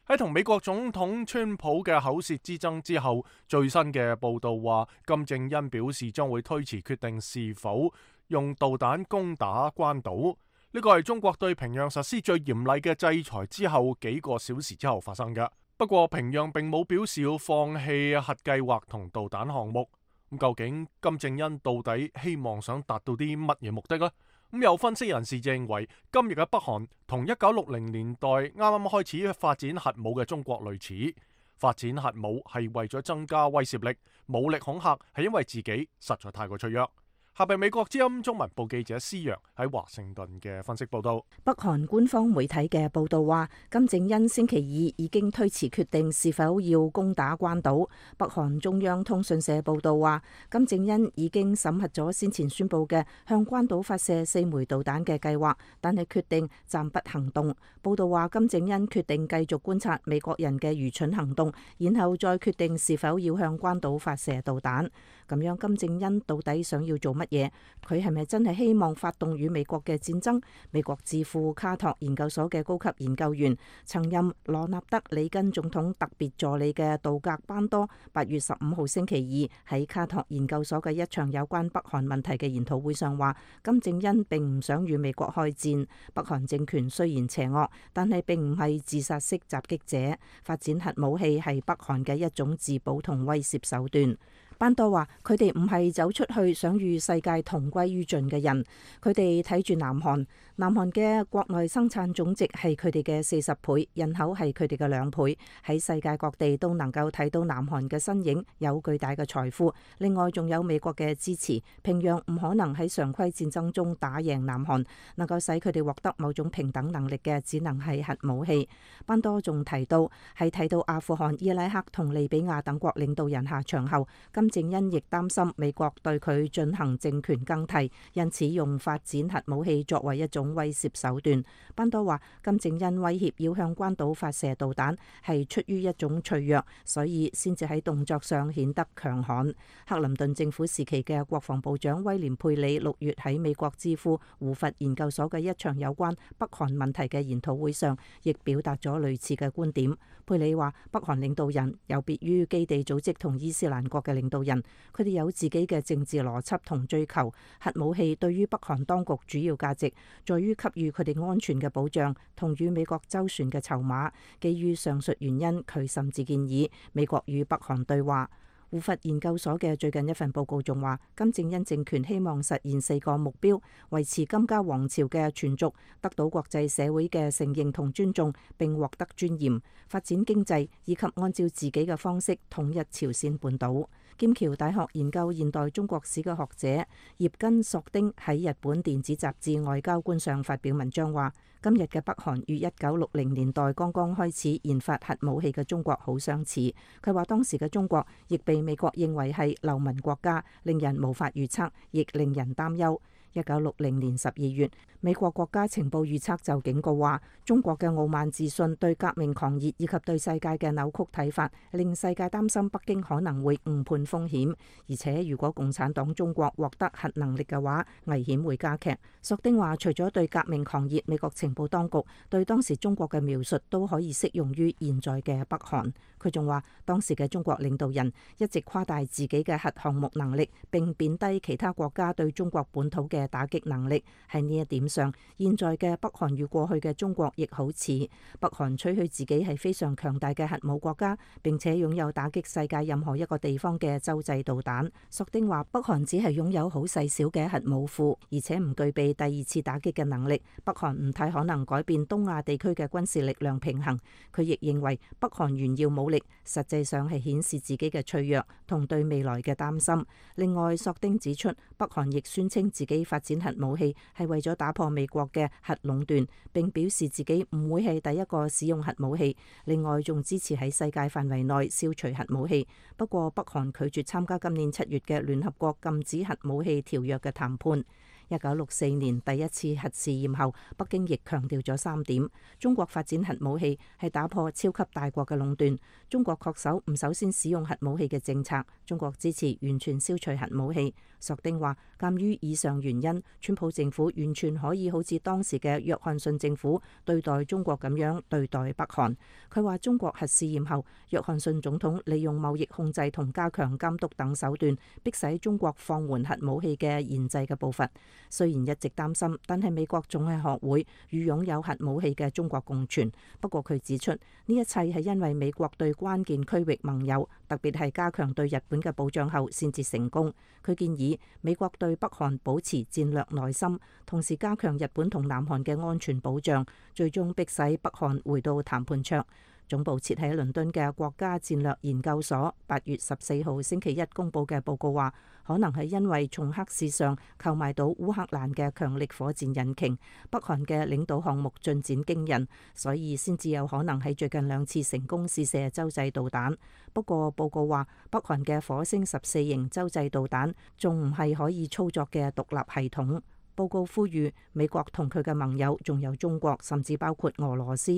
A: 喺同美國總統川普嘅口舌之爭之後，最新嘅報道話金正恩表示將會推遲決定是否用導彈攻打關島。呢個係中國對平壤實施最嚴厲嘅制裁之後幾個小時之後發生嘅。不過平壤並冇表示要放棄核計劃同導彈項目。咁究竟金正恩到底希望想達到啲乜嘢目的呢？咁有分析人士認為，今日嘅北韓同1960年代啱啱開始發展核武嘅中國類似，發展核武係為咗增加威懾力，武力恐嚇係因為自己實在太過脆弱。下邊美國之音中文部記者施洋喺華盛頓嘅分析報道。
F: 北韓官方媒體嘅報道話，金正恩星期二已經推遲決定是否要攻打關島。北韓中央通訊社報道話，金正恩已經審核咗先前宣布嘅向關島發射4枚導彈嘅計劃，但係決定暫不行動。報道話，金正恩決定繼續觀察美國人嘅愚蠢行動，然後再決定是否要向關島發射導彈。咁樣金正恩到底想要做乜嘢？佢係咪真係希望發動與美國嘅戰爭？美國智庫卡托研究所嘅高級研究員、曾任羅納德里根總統特別助理嘅杜格班多8月15號星期二喺卡托研究所嘅一場有關北韓問題嘅研討會上話，金正恩並唔想與美國開戰。北韓政權雖然邪惡，但係並唔係自殺式襲擊者。發展核武器係北韓嘅一種自保同威懾手段。班多話：佢哋唔係走出去想與世界同歸於盡嘅人，佢哋睇住南韓，南韓嘅國內生產總值係佢哋嘅40倍，人口係佢哋嘅2倍，喺世界各地都能夠睇到南韓嘅身影，有巨大嘅財富。另外仲有美國嘅支持，平壤唔可能喺常規戰爭中打贏南韓，能夠使佢哋獲得某種平等能力嘅，只能係核武器。班多仲提到，喺睇到阿富汗、伊拉克同利比亞等國領導人下場後，金正恩亦擔心美國對佢進行政權更替，因此用發展核武器作為一種種威懾手段。班多話，金正恩威脅要向關島發射導彈係出於一種脆弱，所以先至喺動作上顯得強悍。克林頓政府時期嘅國防部長威廉佩里6月喺美國智庫胡佛研究所嘅一場有關北韓問題嘅研討會上，亦表達咗類似嘅觀點。佩里話，北韓領導人有別於基地組織同伊斯蘭國嘅領導人，佢哋有自己嘅政治邏輯同追求。核武器對於北韓當局主要價值在於給予佢哋安全嘅保障同與美國周旋嘅籌碼。基於上述原因，佢甚至建議美國與北韓對話。胡佛研究所嘅最近一份報告仲話，金正恩政權希望實現4個目標：維持金家王朝嘅存續，得到國際社會嘅承認同尊重，並獲得尊嚴；發展經濟，以及按照自己嘅方式統一朝鮮半島。劍橋大學研究現代中國史嘅學者葉根索丁喺日本電子雜誌《外交官》上發表文章話，今日嘅北韓與1960年代剛剛開始研發核武器嘅中國好相似。佢話當時嘅中國亦被美國認為係流氓國家，令人無法預測，亦令人擔憂。1960年12月，美國國家情報預測就警告話，中國嘅傲慢自信、對革命狂熱以及對世界嘅扭曲睇法，令世界擔心北京可能會誤判風險。而且如果共產黨中國獲得核能力嘅話，危險會加劇。索丁話，除咗對革命狂熱，美國情報當局對當時中國嘅描述都可以適用於現在嘅北韓。佢仲話，當時嘅中國領導人一直誇大自己嘅核項目能力，並貶低其他國家對中國本土嘅打擊能力。喺呢一點上，現在嘅北韓與過去嘅中國亦好似。北韓吹噓自己係非常強大嘅核武國家，並且擁有打擊世界任何一個地方嘅洲際導彈。索丁話，北韓只係擁有好細小嘅核武庫，而且唔具備第二次打擊嘅能力。北韓唔太可能改變東亞地區嘅軍事力量平衡。佢亦認為北韓炫耀武力，實際上係顯示自己嘅脆弱同對未來嘅擔心。另外，索丁指出，北韓亦宣稱自己發展核武器係為咗打破美國嘅核壟斷，並表示自己唔會係第一個使用核武器。另外，仲支持喺世界範圍內消除核武器。不過，北韓拒絕參加今年7月嘅聯合國禁止核武器條約嘅談判。1964年第一次核試驗後，北京亦強調咗3點：中國發展核武器係打破超級大國嘅壟斷；中國恪守唔首先使用核武器嘅政策；中國支持完全消除核武器。索丁話，鑑於以上原因，川普政府完全可以好似當時嘅約翰遜政府對待中國咁樣對待北韓。佢話中國核試驗後，約翰遜總統利用貿易控制同加強監督等手段，迫使中國放緩核武器嘅研製嘅步伐。雖然一直擔心，但係美國總係學會與擁有核武器嘅中國共存。不過佢指出，呢一切係因為美國對關鍵區域盟友，特別係加強對日本嘅保障後先至成功。佢建議美國對北韓保持戰略耐心，同時加強日本同南韓嘅安全保障，最終迫使北韓回到談判桌。總部設喺倫敦嘅國家戰略研究所8月14號星期一公佈嘅報告話，可能係因為從黑市上購買到烏克蘭嘅強力火箭引擎，北韓嘅領導項目進展驚人，所以先至有可能喺最近2次成功試射洲際導彈。不過報告話，北韓嘅火星14型洲際導彈仲唔係可以操作嘅獨立系統。報告呼籲美國同佢嘅盟友，仲有中國，甚至包括俄羅斯，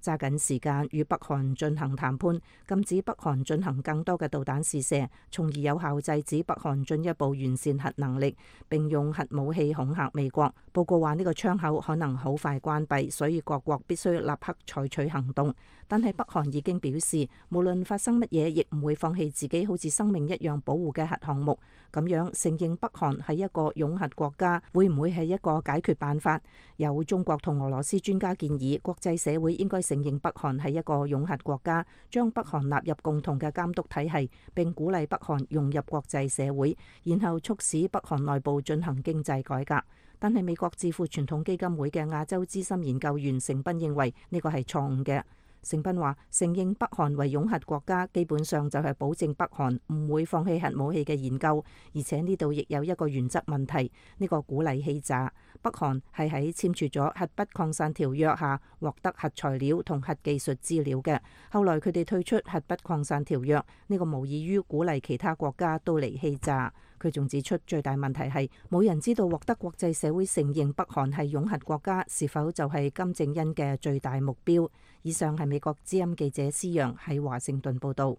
F: 揸緊時間與北韓進行談判，禁止北韓進行更多嘅導彈試射，從而有效制止北韓進一步完善核能力，並用核武器恐嚇美國。報告話呢個窗口可能好快關閉，所以各國必須立刻採取行動。但係北韓已經表示，無論發生乜嘢，亦唔會放棄自己好似生命一樣保護嘅核項目。咁樣承認北韓係一個擁核國家，會唔會係一個解決辦法？有中國同俄羅斯專家建議，國際社會應該承認北韓係一個擁核國家，將北韓納入共同嘅監督體系，並鼓勵北韓融入國際社會，然後促使北韓內部進行經濟改革。但係美國智庫傳統基金會嘅亞洲資深研究員成斌認為呢個係錯誤嘅。成斌話：承認北韓為擁核國家，基本上就係保證北韓唔會放棄核武器嘅研究，而且呢度亦有一個原則問題，呢個鼓勵欺詐。北韓係喺簽署咗核不擴散條約下獲得核材料同核技術資料嘅，後來佢哋退出核不擴散條約，呢個無異於鼓勵其他國家都嚟欺詐。佢仲指出，最大問題係冇人知道獲得國際社會承認北韓係擁核國家是否就係金正恩嘅最大目標。以上係美國之音記者施陽喺華盛頓報導。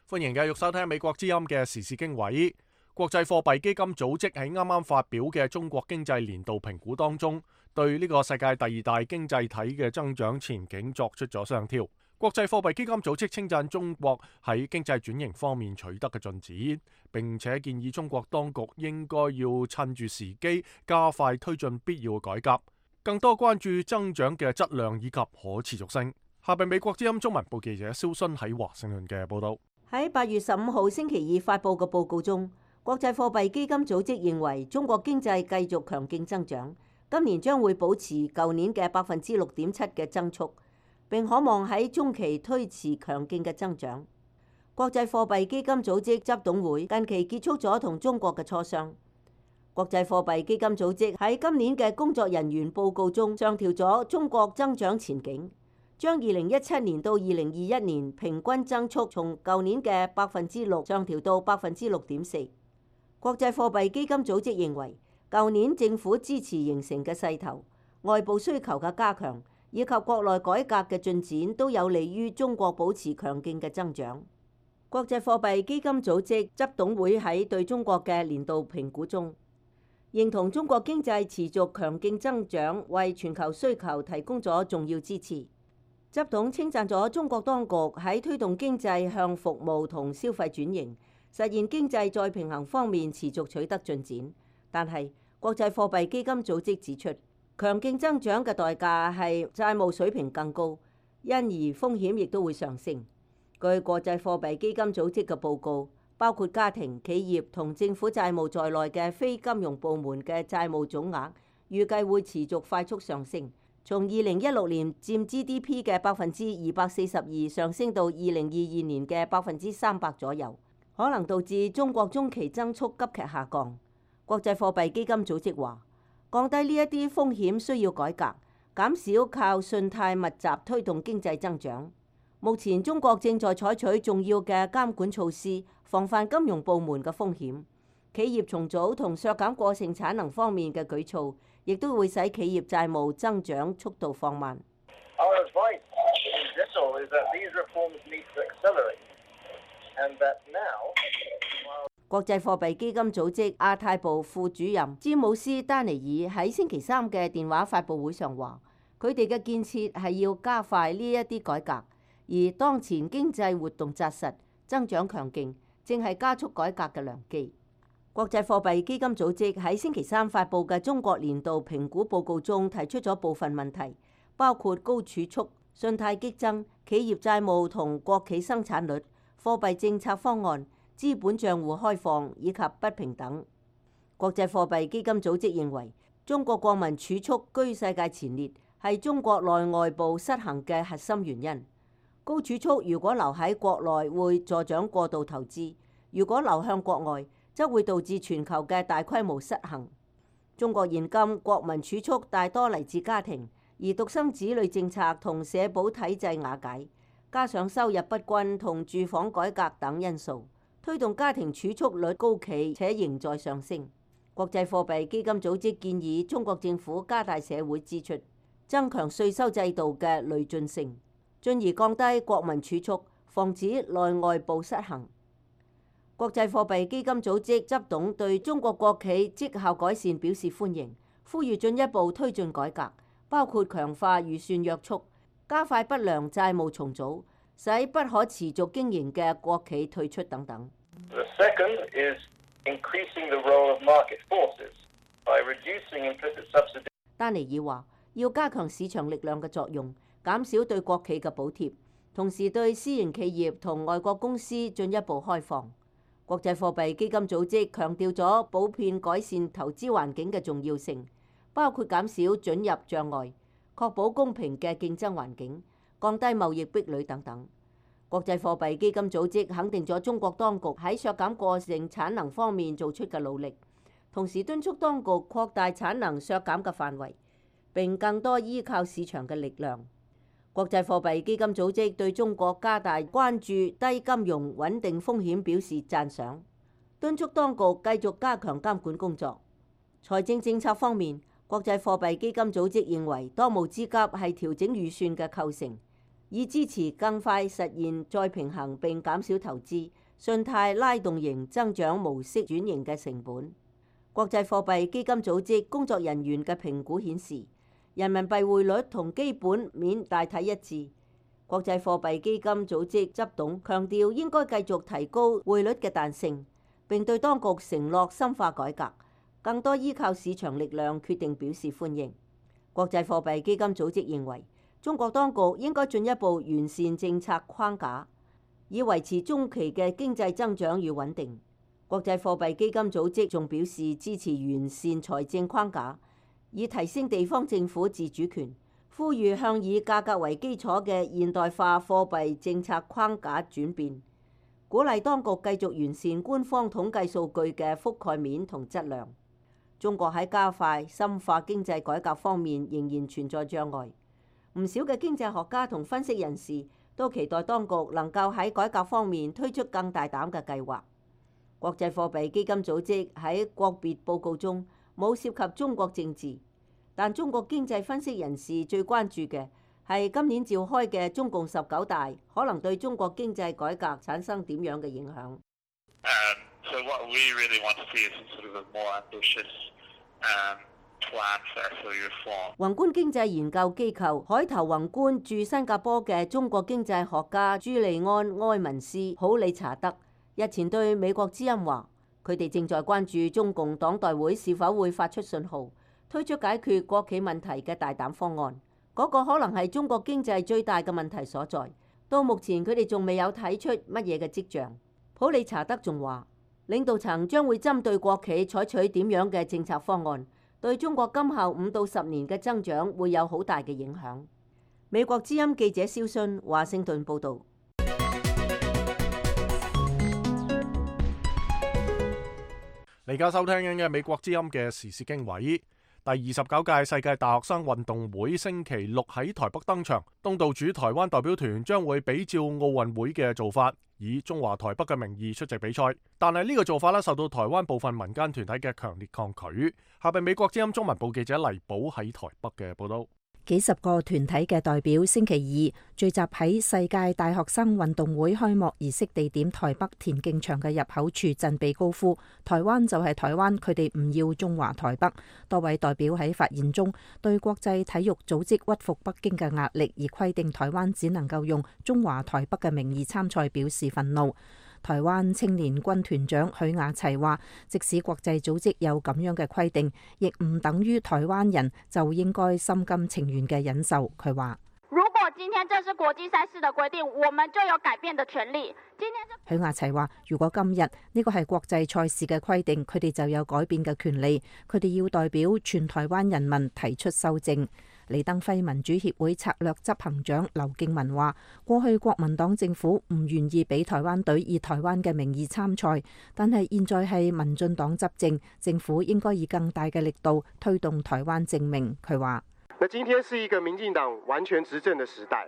A: 歡迎繼續收聽美國之音嘅時事經緯。國際貨幣基金組織喺啱啱發表嘅中國經濟年度評估當中，對呢個世界第二大經濟體嘅增長前景作出咗上調。國際貨幣基金組織稱讚中國喺經濟轉型方面取得嘅進展，並且建議中國當局應該要趁住時機加快推進必要嘅改革，更多關注增長嘅質量以及可持續性。下邊美國之音中文部記者蕭순喺華盛頓嘅報道。
D: 喺8月15號星期二發佈嘅報告中，國際貨幣基金組織認為中國經濟繼續強勁增長，今年將會保持舊年嘅6.7%嘅增速，並可望喺中期推遲強勁嘅增長。國際貨幣基金組織執董會近期結束咗同中國嘅磋商。國際貨幣基金組織喺今年嘅工作人員報告中上調咗中國增長前景，將2017年到2021年平均增速從舊年嘅6%上調到6.4%。國際貨幣基金組織認為，舊年政府支持形成嘅勢頭、外部需求嘅加強以及國內改革嘅進展，都有利於中國保持強勁嘅增長。國際貨幣基金組織執董會喺對中國嘅年度評估中，認同中國經濟持續強勁增長，為全球需求提供咗重要支持。執董稱讚咗中國當局喺推動經濟向服務同消費轉型，實現經濟再平衡方面持續取得進展。但係國際貨幣基金組織指出，強勁增長嘅代價係債務水平更高，因而風險亦都會上升。據國際貨幣基金組織嘅報告，包括家庭、企業同政府債務在內嘅非金融部門嘅債務總額，預計會持續快速上升，從2016年佔 GDP 嘅242%上升到2022年嘅300%左右，可能導致中國中期增速急劇下降。國際貨幣基金組織話，降低呢一啲風險需要改革，減少靠信貸密集推動經濟增長。目前中國正在採取重要嘅監管措施，防範金融部門嘅風險。企業重組同削減過剩產能方面嘅舉措，亦都會使企業債務增長速度放慢。國際貨幣基金組織亞太部副主任詹姆斯·丹尼爾喺星期三嘅電話發佈會上話，佢哋嘅建設係要加快呢一啲改革，而當前經濟活動紮實、增長強勁，正係加速改革嘅良機。國際貨幣基金組織喺星期三發佈嘅中國年度評估報告中提出咗部分問題，包括高儲蓄、信貸激增、企業債務同國企生產率、貨幣政策方案、資本帳戶開放以及不平等。國際貨幣基金組織認為，中國國民儲蓄居世界前列，係中國內外部失衡嘅核心原因。高儲蓄如果留喺國內會助長過度投資，如果流向國外，則會導致全球嘅大規模失衡。中國現今國民儲蓄大多嚟自家庭，而獨生子女政策同社保體制瓦解，加上收入不均同住房改革等因素，推動家庭儲蓄率高企且仍在上升。國際貨幣基金組織建議中國政府加大社會支出，增強稅收制度嘅累進性，進而降低國民儲蓄，防止內外部失衡。國際貨幣基金組織執董對中國國企績效改善表示歡迎，呼籲進一步推進改革，包括強化預算約束、加快不良債務重組、使不可持續經營嘅國企退出等等。丹尼爾話：要加強市場力量嘅作用，減少對國企嘅補貼，同時對私營企業同外國公司進一步開放。國際貨幣基金組織強調咗普遍改善投資環境嘅重要性，包括減少准入障礙、確保公平嘅競爭環境、降低貿易壁壘等等。國際貨幣基金組織肯定咗中國當局喺削減過剩產能方面做出嘅努力，同時敦促當局擴大產能削減嘅範圍，並更多依靠市場嘅力量。國際貨幣基金組織對中國加大關注低金融穩定風險表示讚賞，敦促當局繼續加強監管工作。財政政策方面，國際貨幣基金組織認為當務之急係調整預算嘅構成，以支持更快實現再平衡並減少投資、信貸拉動型增長模式轉型嘅成本。國際貨幣基金組織工作人員嘅評估顯示，人民幣匯率同基本面大體一致。國際貨幣基金組織執董強調應該繼續提高匯率嘅彈性，並對當局承諾深化改革、更多依靠市場力量決定表示歡迎。國際貨幣基金組織認為，中國當局應該進一步完善政策框架，以維持中期嘅經濟增長與穩定。國際貨幣基金組織仲表示支持完善財政框架，以提升地方政府自主權，呼籲向以價格為基礎嘅現代化貨幣政策框架轉變，鼓勵當局繼續完善官方統計數據嘅覆蓋面同質量。中國喺加快深化經濟改革方面仍然存在障礙，唔少嘅經濟學家同分析人士都期待當局能夠喺改革方面推出更大膽嘅計劃。國際貨幣基金組織喺國別報告中冇涉及中國政治，但中國經濟分析人士最關注嘅係今年召開嘅中共19大可能對中國經濟改革產生點樣嘅影響。
G: So what we really want to see is sort of a more ambitious plan for reform.
D: 宏觀經濟研究機構海頭宏觀駐新加坡嘅中國經濟學家朱利安·埃文斯·普里查德日前對美國之音話，佢哋正在關注中共黨代會是否會發出信號，推出解決國企問題嘅大膽方案。嗰個可能係中國經濟最大嘅問題所在。到目前佢哋仲未有睇出乜嘢嘅跡象。普里查德仲話，領導層將會針對國企採取點樣嘅政策方案，對中國今後5到10年嘅增長會有好大嘅影響。美國之音記者蕭信華盛頓報導。
A: 你而家收聽緊嘅美國之音嘅時事經緯。第29屆世界大學生運動會星期六喺台北登場，東道主台灣代表團將會比照奧運會嘅做法，以中華台北嘅名義出席比賽。但係呢個做法咧，受到台灣部分民間團體嘅強烈抗拒。下邊美國之音中文部記者黎寶喺台北嘅報道。
F: 幾十個團體嘅代表星期二聚集喺世界大學生運動會開幕儀式地點台北田徑場嘅入口處振臂高呼台灣就係台灣，佢哋唔要中華台北。多位代表喺發言中對國際體育組織屈服北京嘅壓力而規定台灣只能夠用中華台北嘅名義參賽表示憤怒。台灣青年軍團長許雅齊話，即使國際組織有咁樣嘅規定，亦唔等於台灣人就應該心甘情願嘅忍受。佢話：
H: 如果今天這是國際賽事的規定，我們就有改變的權利。
F: 許雅齊話：如果今日呢個係國際賽事嘅規定，佢哋就有改變嘅權利。佢哋要代表全台灣人民提出修正。李登輝民主協會策略執行長劉敬文話：過去國民黨政府唔願意俾台灣隊以台灣嘅名義參賽，但係現在係民進黨執政，政府應該以更大嘅力度推動台灣正名。佢話：
I: 那今天是一個民進黨完全執政的時代，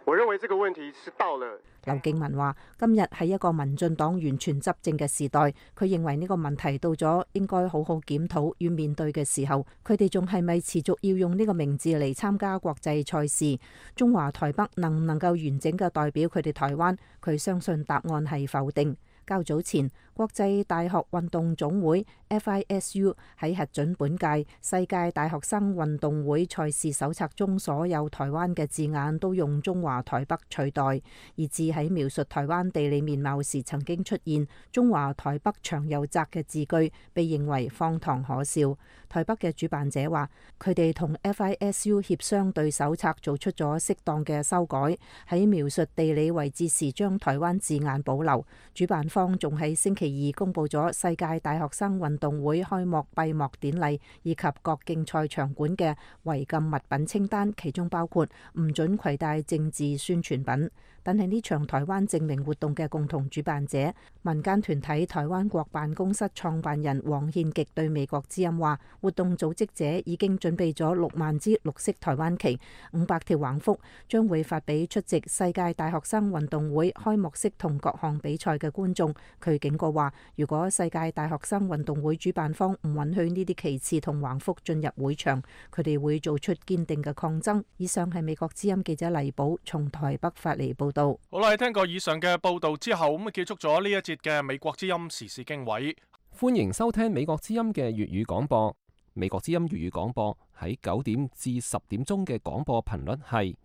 I: 我認為這個問題是到了。
F: 劉敬文話：今日係一個民進黨完全執政嘅時代，佢認為呢個問題到咗應該好好檢討與面對嘅時候，佢哋仲係咪持續要用呢個名字嚟參加國際賽事？中華台北能唔能夠完整嘅代表佢哋台灣？佢相信答案係否定。較早前，國際大學運動總會 FISU 喺核准本屆世界大學生運動會賽事手冊中所有台灣嘅字眼都用中華台北取代，以致喺描述台灣地理面貌時曾經出現中華台北長又窄嘅字句，被認為荒唐可笑。台北嘅主辦者話，佢哋同 FISU 協商對手冊做出咗適當嘅修改，喺描述地理位置時將台灣字眼保留。主辦方仲喺星期二公布咗世界大學生運動會開幕閉幕典禮以及各競賽場館嘅違禁物品清單，其中包括唔准攜帶政治宣傳品。但係呢場台灣證明活動嘅共同主辦者民間團體台灣國辦公室創辦人黃憲極對美國之音話，活動組織者已經準備咗6萬支綠色台灣旗、500條橫幅，將會發俾出席世界大學生運動會開幕式同各項比賽嘅觀眾。佢警告話，如果世界大學生運動會主辦方唔允許呢啲旗幟同橫幅進入會場，佢哋會做出堅定嘅抗爭。以上係美國之音記者黎寶從台北發嚟報道。
A: 好啦，聽過以上嘅報道之後，咁結束咗呢一節嘅美國之音時事經緯。
C: 歡迎收聽美國之音嘅粵語廣播。美國之音粵語廣播喺9點至10點鐘嘅廣播頻率係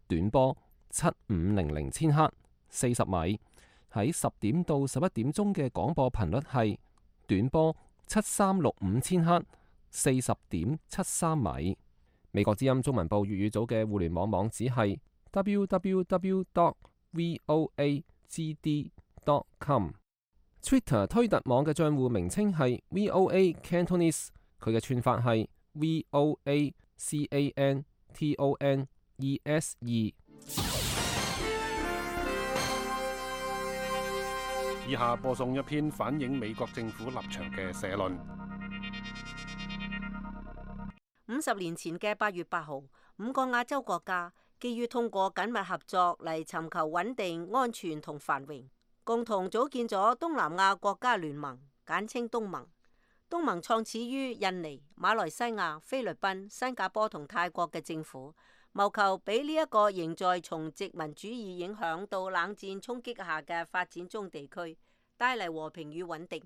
C: 短波7500千赫40米，喺10點到11點鐘嘅廣播頻率係短波7365千赫40.73米。美國之音中文部粵語組嘅互聯網網址係 www.voagd.com。Twitter 推特網嘅賬戶名稱係 VOA Cantonese， 佢嘅串法係 VOACANTONESE。
J: 以下播送一篇反映美國政府立場嘅社論。
D: 50年前嘅8月8號，5個亞洲國家基於通過緊密合作嚟尋求穩定、安全同繁榮，共同組建咗東南亞國家聯盟，簡稱東盟。東盟創始於印尼、馬來西亞、菲律賓、新加坡同泰國嘅政府，謀求俾呢一個仍在從殖民主義影響到冷戰衝擊下嘅發展中地區帶嚟和平與穩定。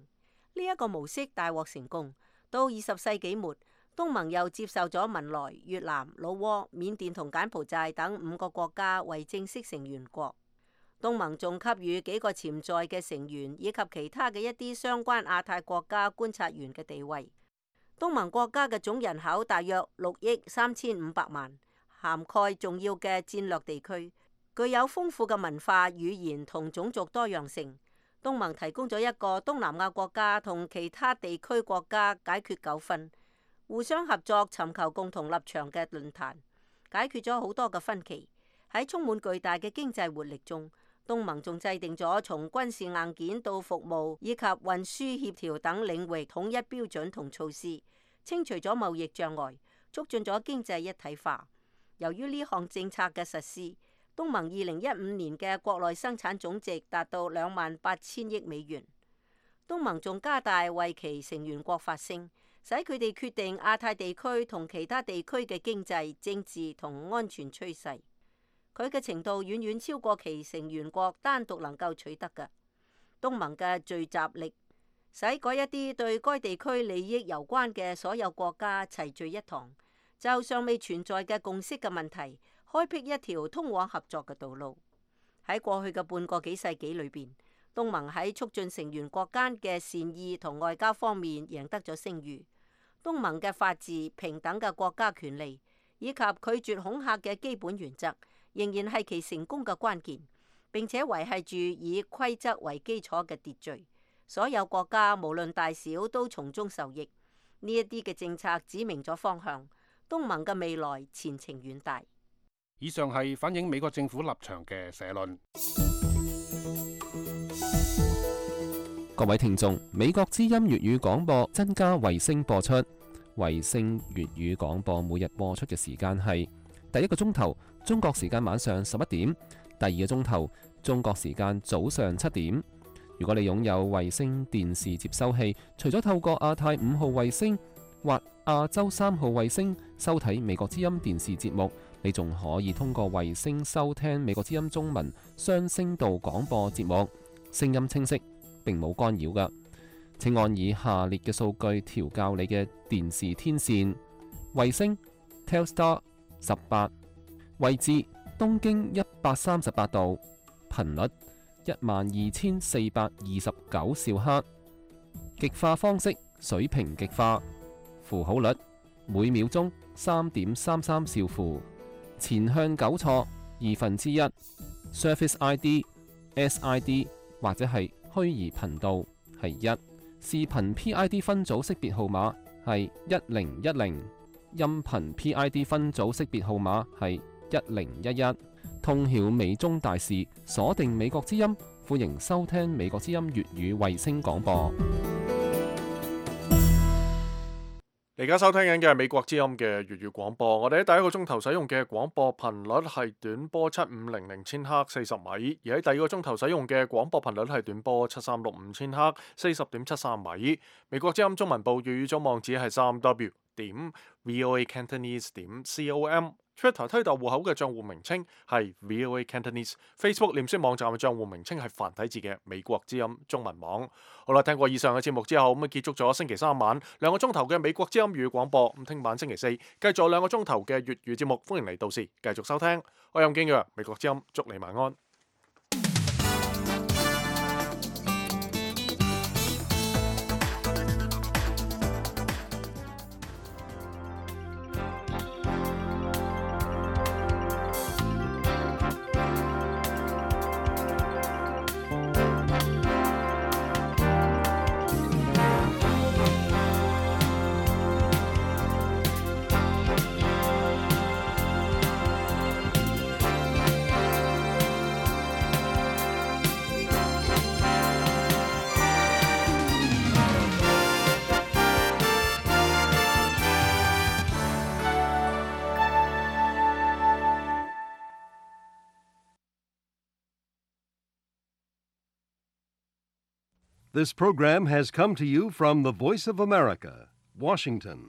D: 呢一個模式大獲成功。到20世紀末，東盟又接受咗文萊、越南、老撾、緬甸同柬埔寨等5個國家為正式成員國。東盟仲給予幾個潛在嘅成員以及其他嘅一啲相關亞太國家觀察員嘅地位。東盟國家嘅總人口大約6億3500萬，涵蓋重要嘅戰略地區，具有豐富嘅文化、語言同種族多樣性。東盟提供咗一個東南亞國家同其他地區國家解決糾紛、互相合作、尋求共同立場嘅論壇，解決咗好多嘅分歧。喺充滿巨大嘅經濟活力中，東盟仲制定咗從軍事硬件到服務以及運輸協調等領域統一標準同措施，清除咗貿易障礙，促進咗經濟一體化。由於呢項政策嘅實施，東盟2015年嘅國內生產總值達到28,000億美元。東盟仲加大為其成員國發聲，使佢哋決定亞太地區同其他地區嘅經濟、政治同安全趨勢。佢嘅程度遠遠超過其成員國單獨能夠取得嘅。東盟嘅聚集力，使嗰一啲對該地區利益攸關嘅所有國家齊聚一堂，就尚未存在嘅共識嘅問題，開闢一條通往合作嘅道路。喺過去嘅半個幾世紀裏邊，東盟喺促進成員國間嘅善意同外交方面贏得咗聲譽。東盟嘅法治、平等嘅國家權利以及拒絕恐嚇嘅基本原則，仍然係其成功嘅關鍵，並且維繫住以規則為基礎嘅秩序。所有國家無論大小都從中受益。呢一啲嘅政策指明咗方向，東盟嘅未來前程遠大。
J: 以上係反映美國政府立場嘅社論。
C: 各位聽眾，美國之音粵語廣播增加衛星播出。衛星粵語廣播每日播出嘅時間係第一個鐘頭中國時間晚上11點，第二個鐘頭中國時間早上7點。如果你擁有衛星電視接收器，除咗透過亞太5號衛星或亞洲3號衛星收睇美國之音電視節目，你仲可以通過衛星收聽美國之音中文雙聲道廣播節目，聲音清晰，並冇干擾㗎。請按以下列嘅數據調校你嘅電視天線：衛星 Telstar 18，位置東經138度，頻率12429兆赫，極化方式水平極化，符號率每秒鐘3.33兆符，前向糾錯1/2， Surface ID、SID 或者係虛擬頻道係1，視頻 PID 分組識別號碼係1010，音頻 PID 分組識別號碼係1011。通曉美中大事，鎖定美國之音，歡迎收聽美國之音粵語衛星廣播。
A: 你而家收聽緊嘅係美國之音嘅粵語廣播。我哋喺第一個鐘頭使用嘅廣播頻率係短波7500千赫40米，而喺第二個鐘頭使用嘅廣播頻率係短波7365千赫40.73米。美國之音中文部粵語組網址係3w.voacantonese.com。Twitter 推特戶口嘅帳戶名稱係 VOA Cantonese。Facebook 臉書網站嘅帳戶名稱係繁體字嘅美國之音中文網。好啦，聽過以上嘅節目之後，咁結束咗星期三晚2個鐘頭嘅美國之音粵語廣播。咁聽晚星期四繼續2個鐘頭嘅粵語節目，歡迎嚟到時繼續收聽。我係任敬揚，美國之音，祝你晚安。
K: This program has come to you from the Voice of America, Washington.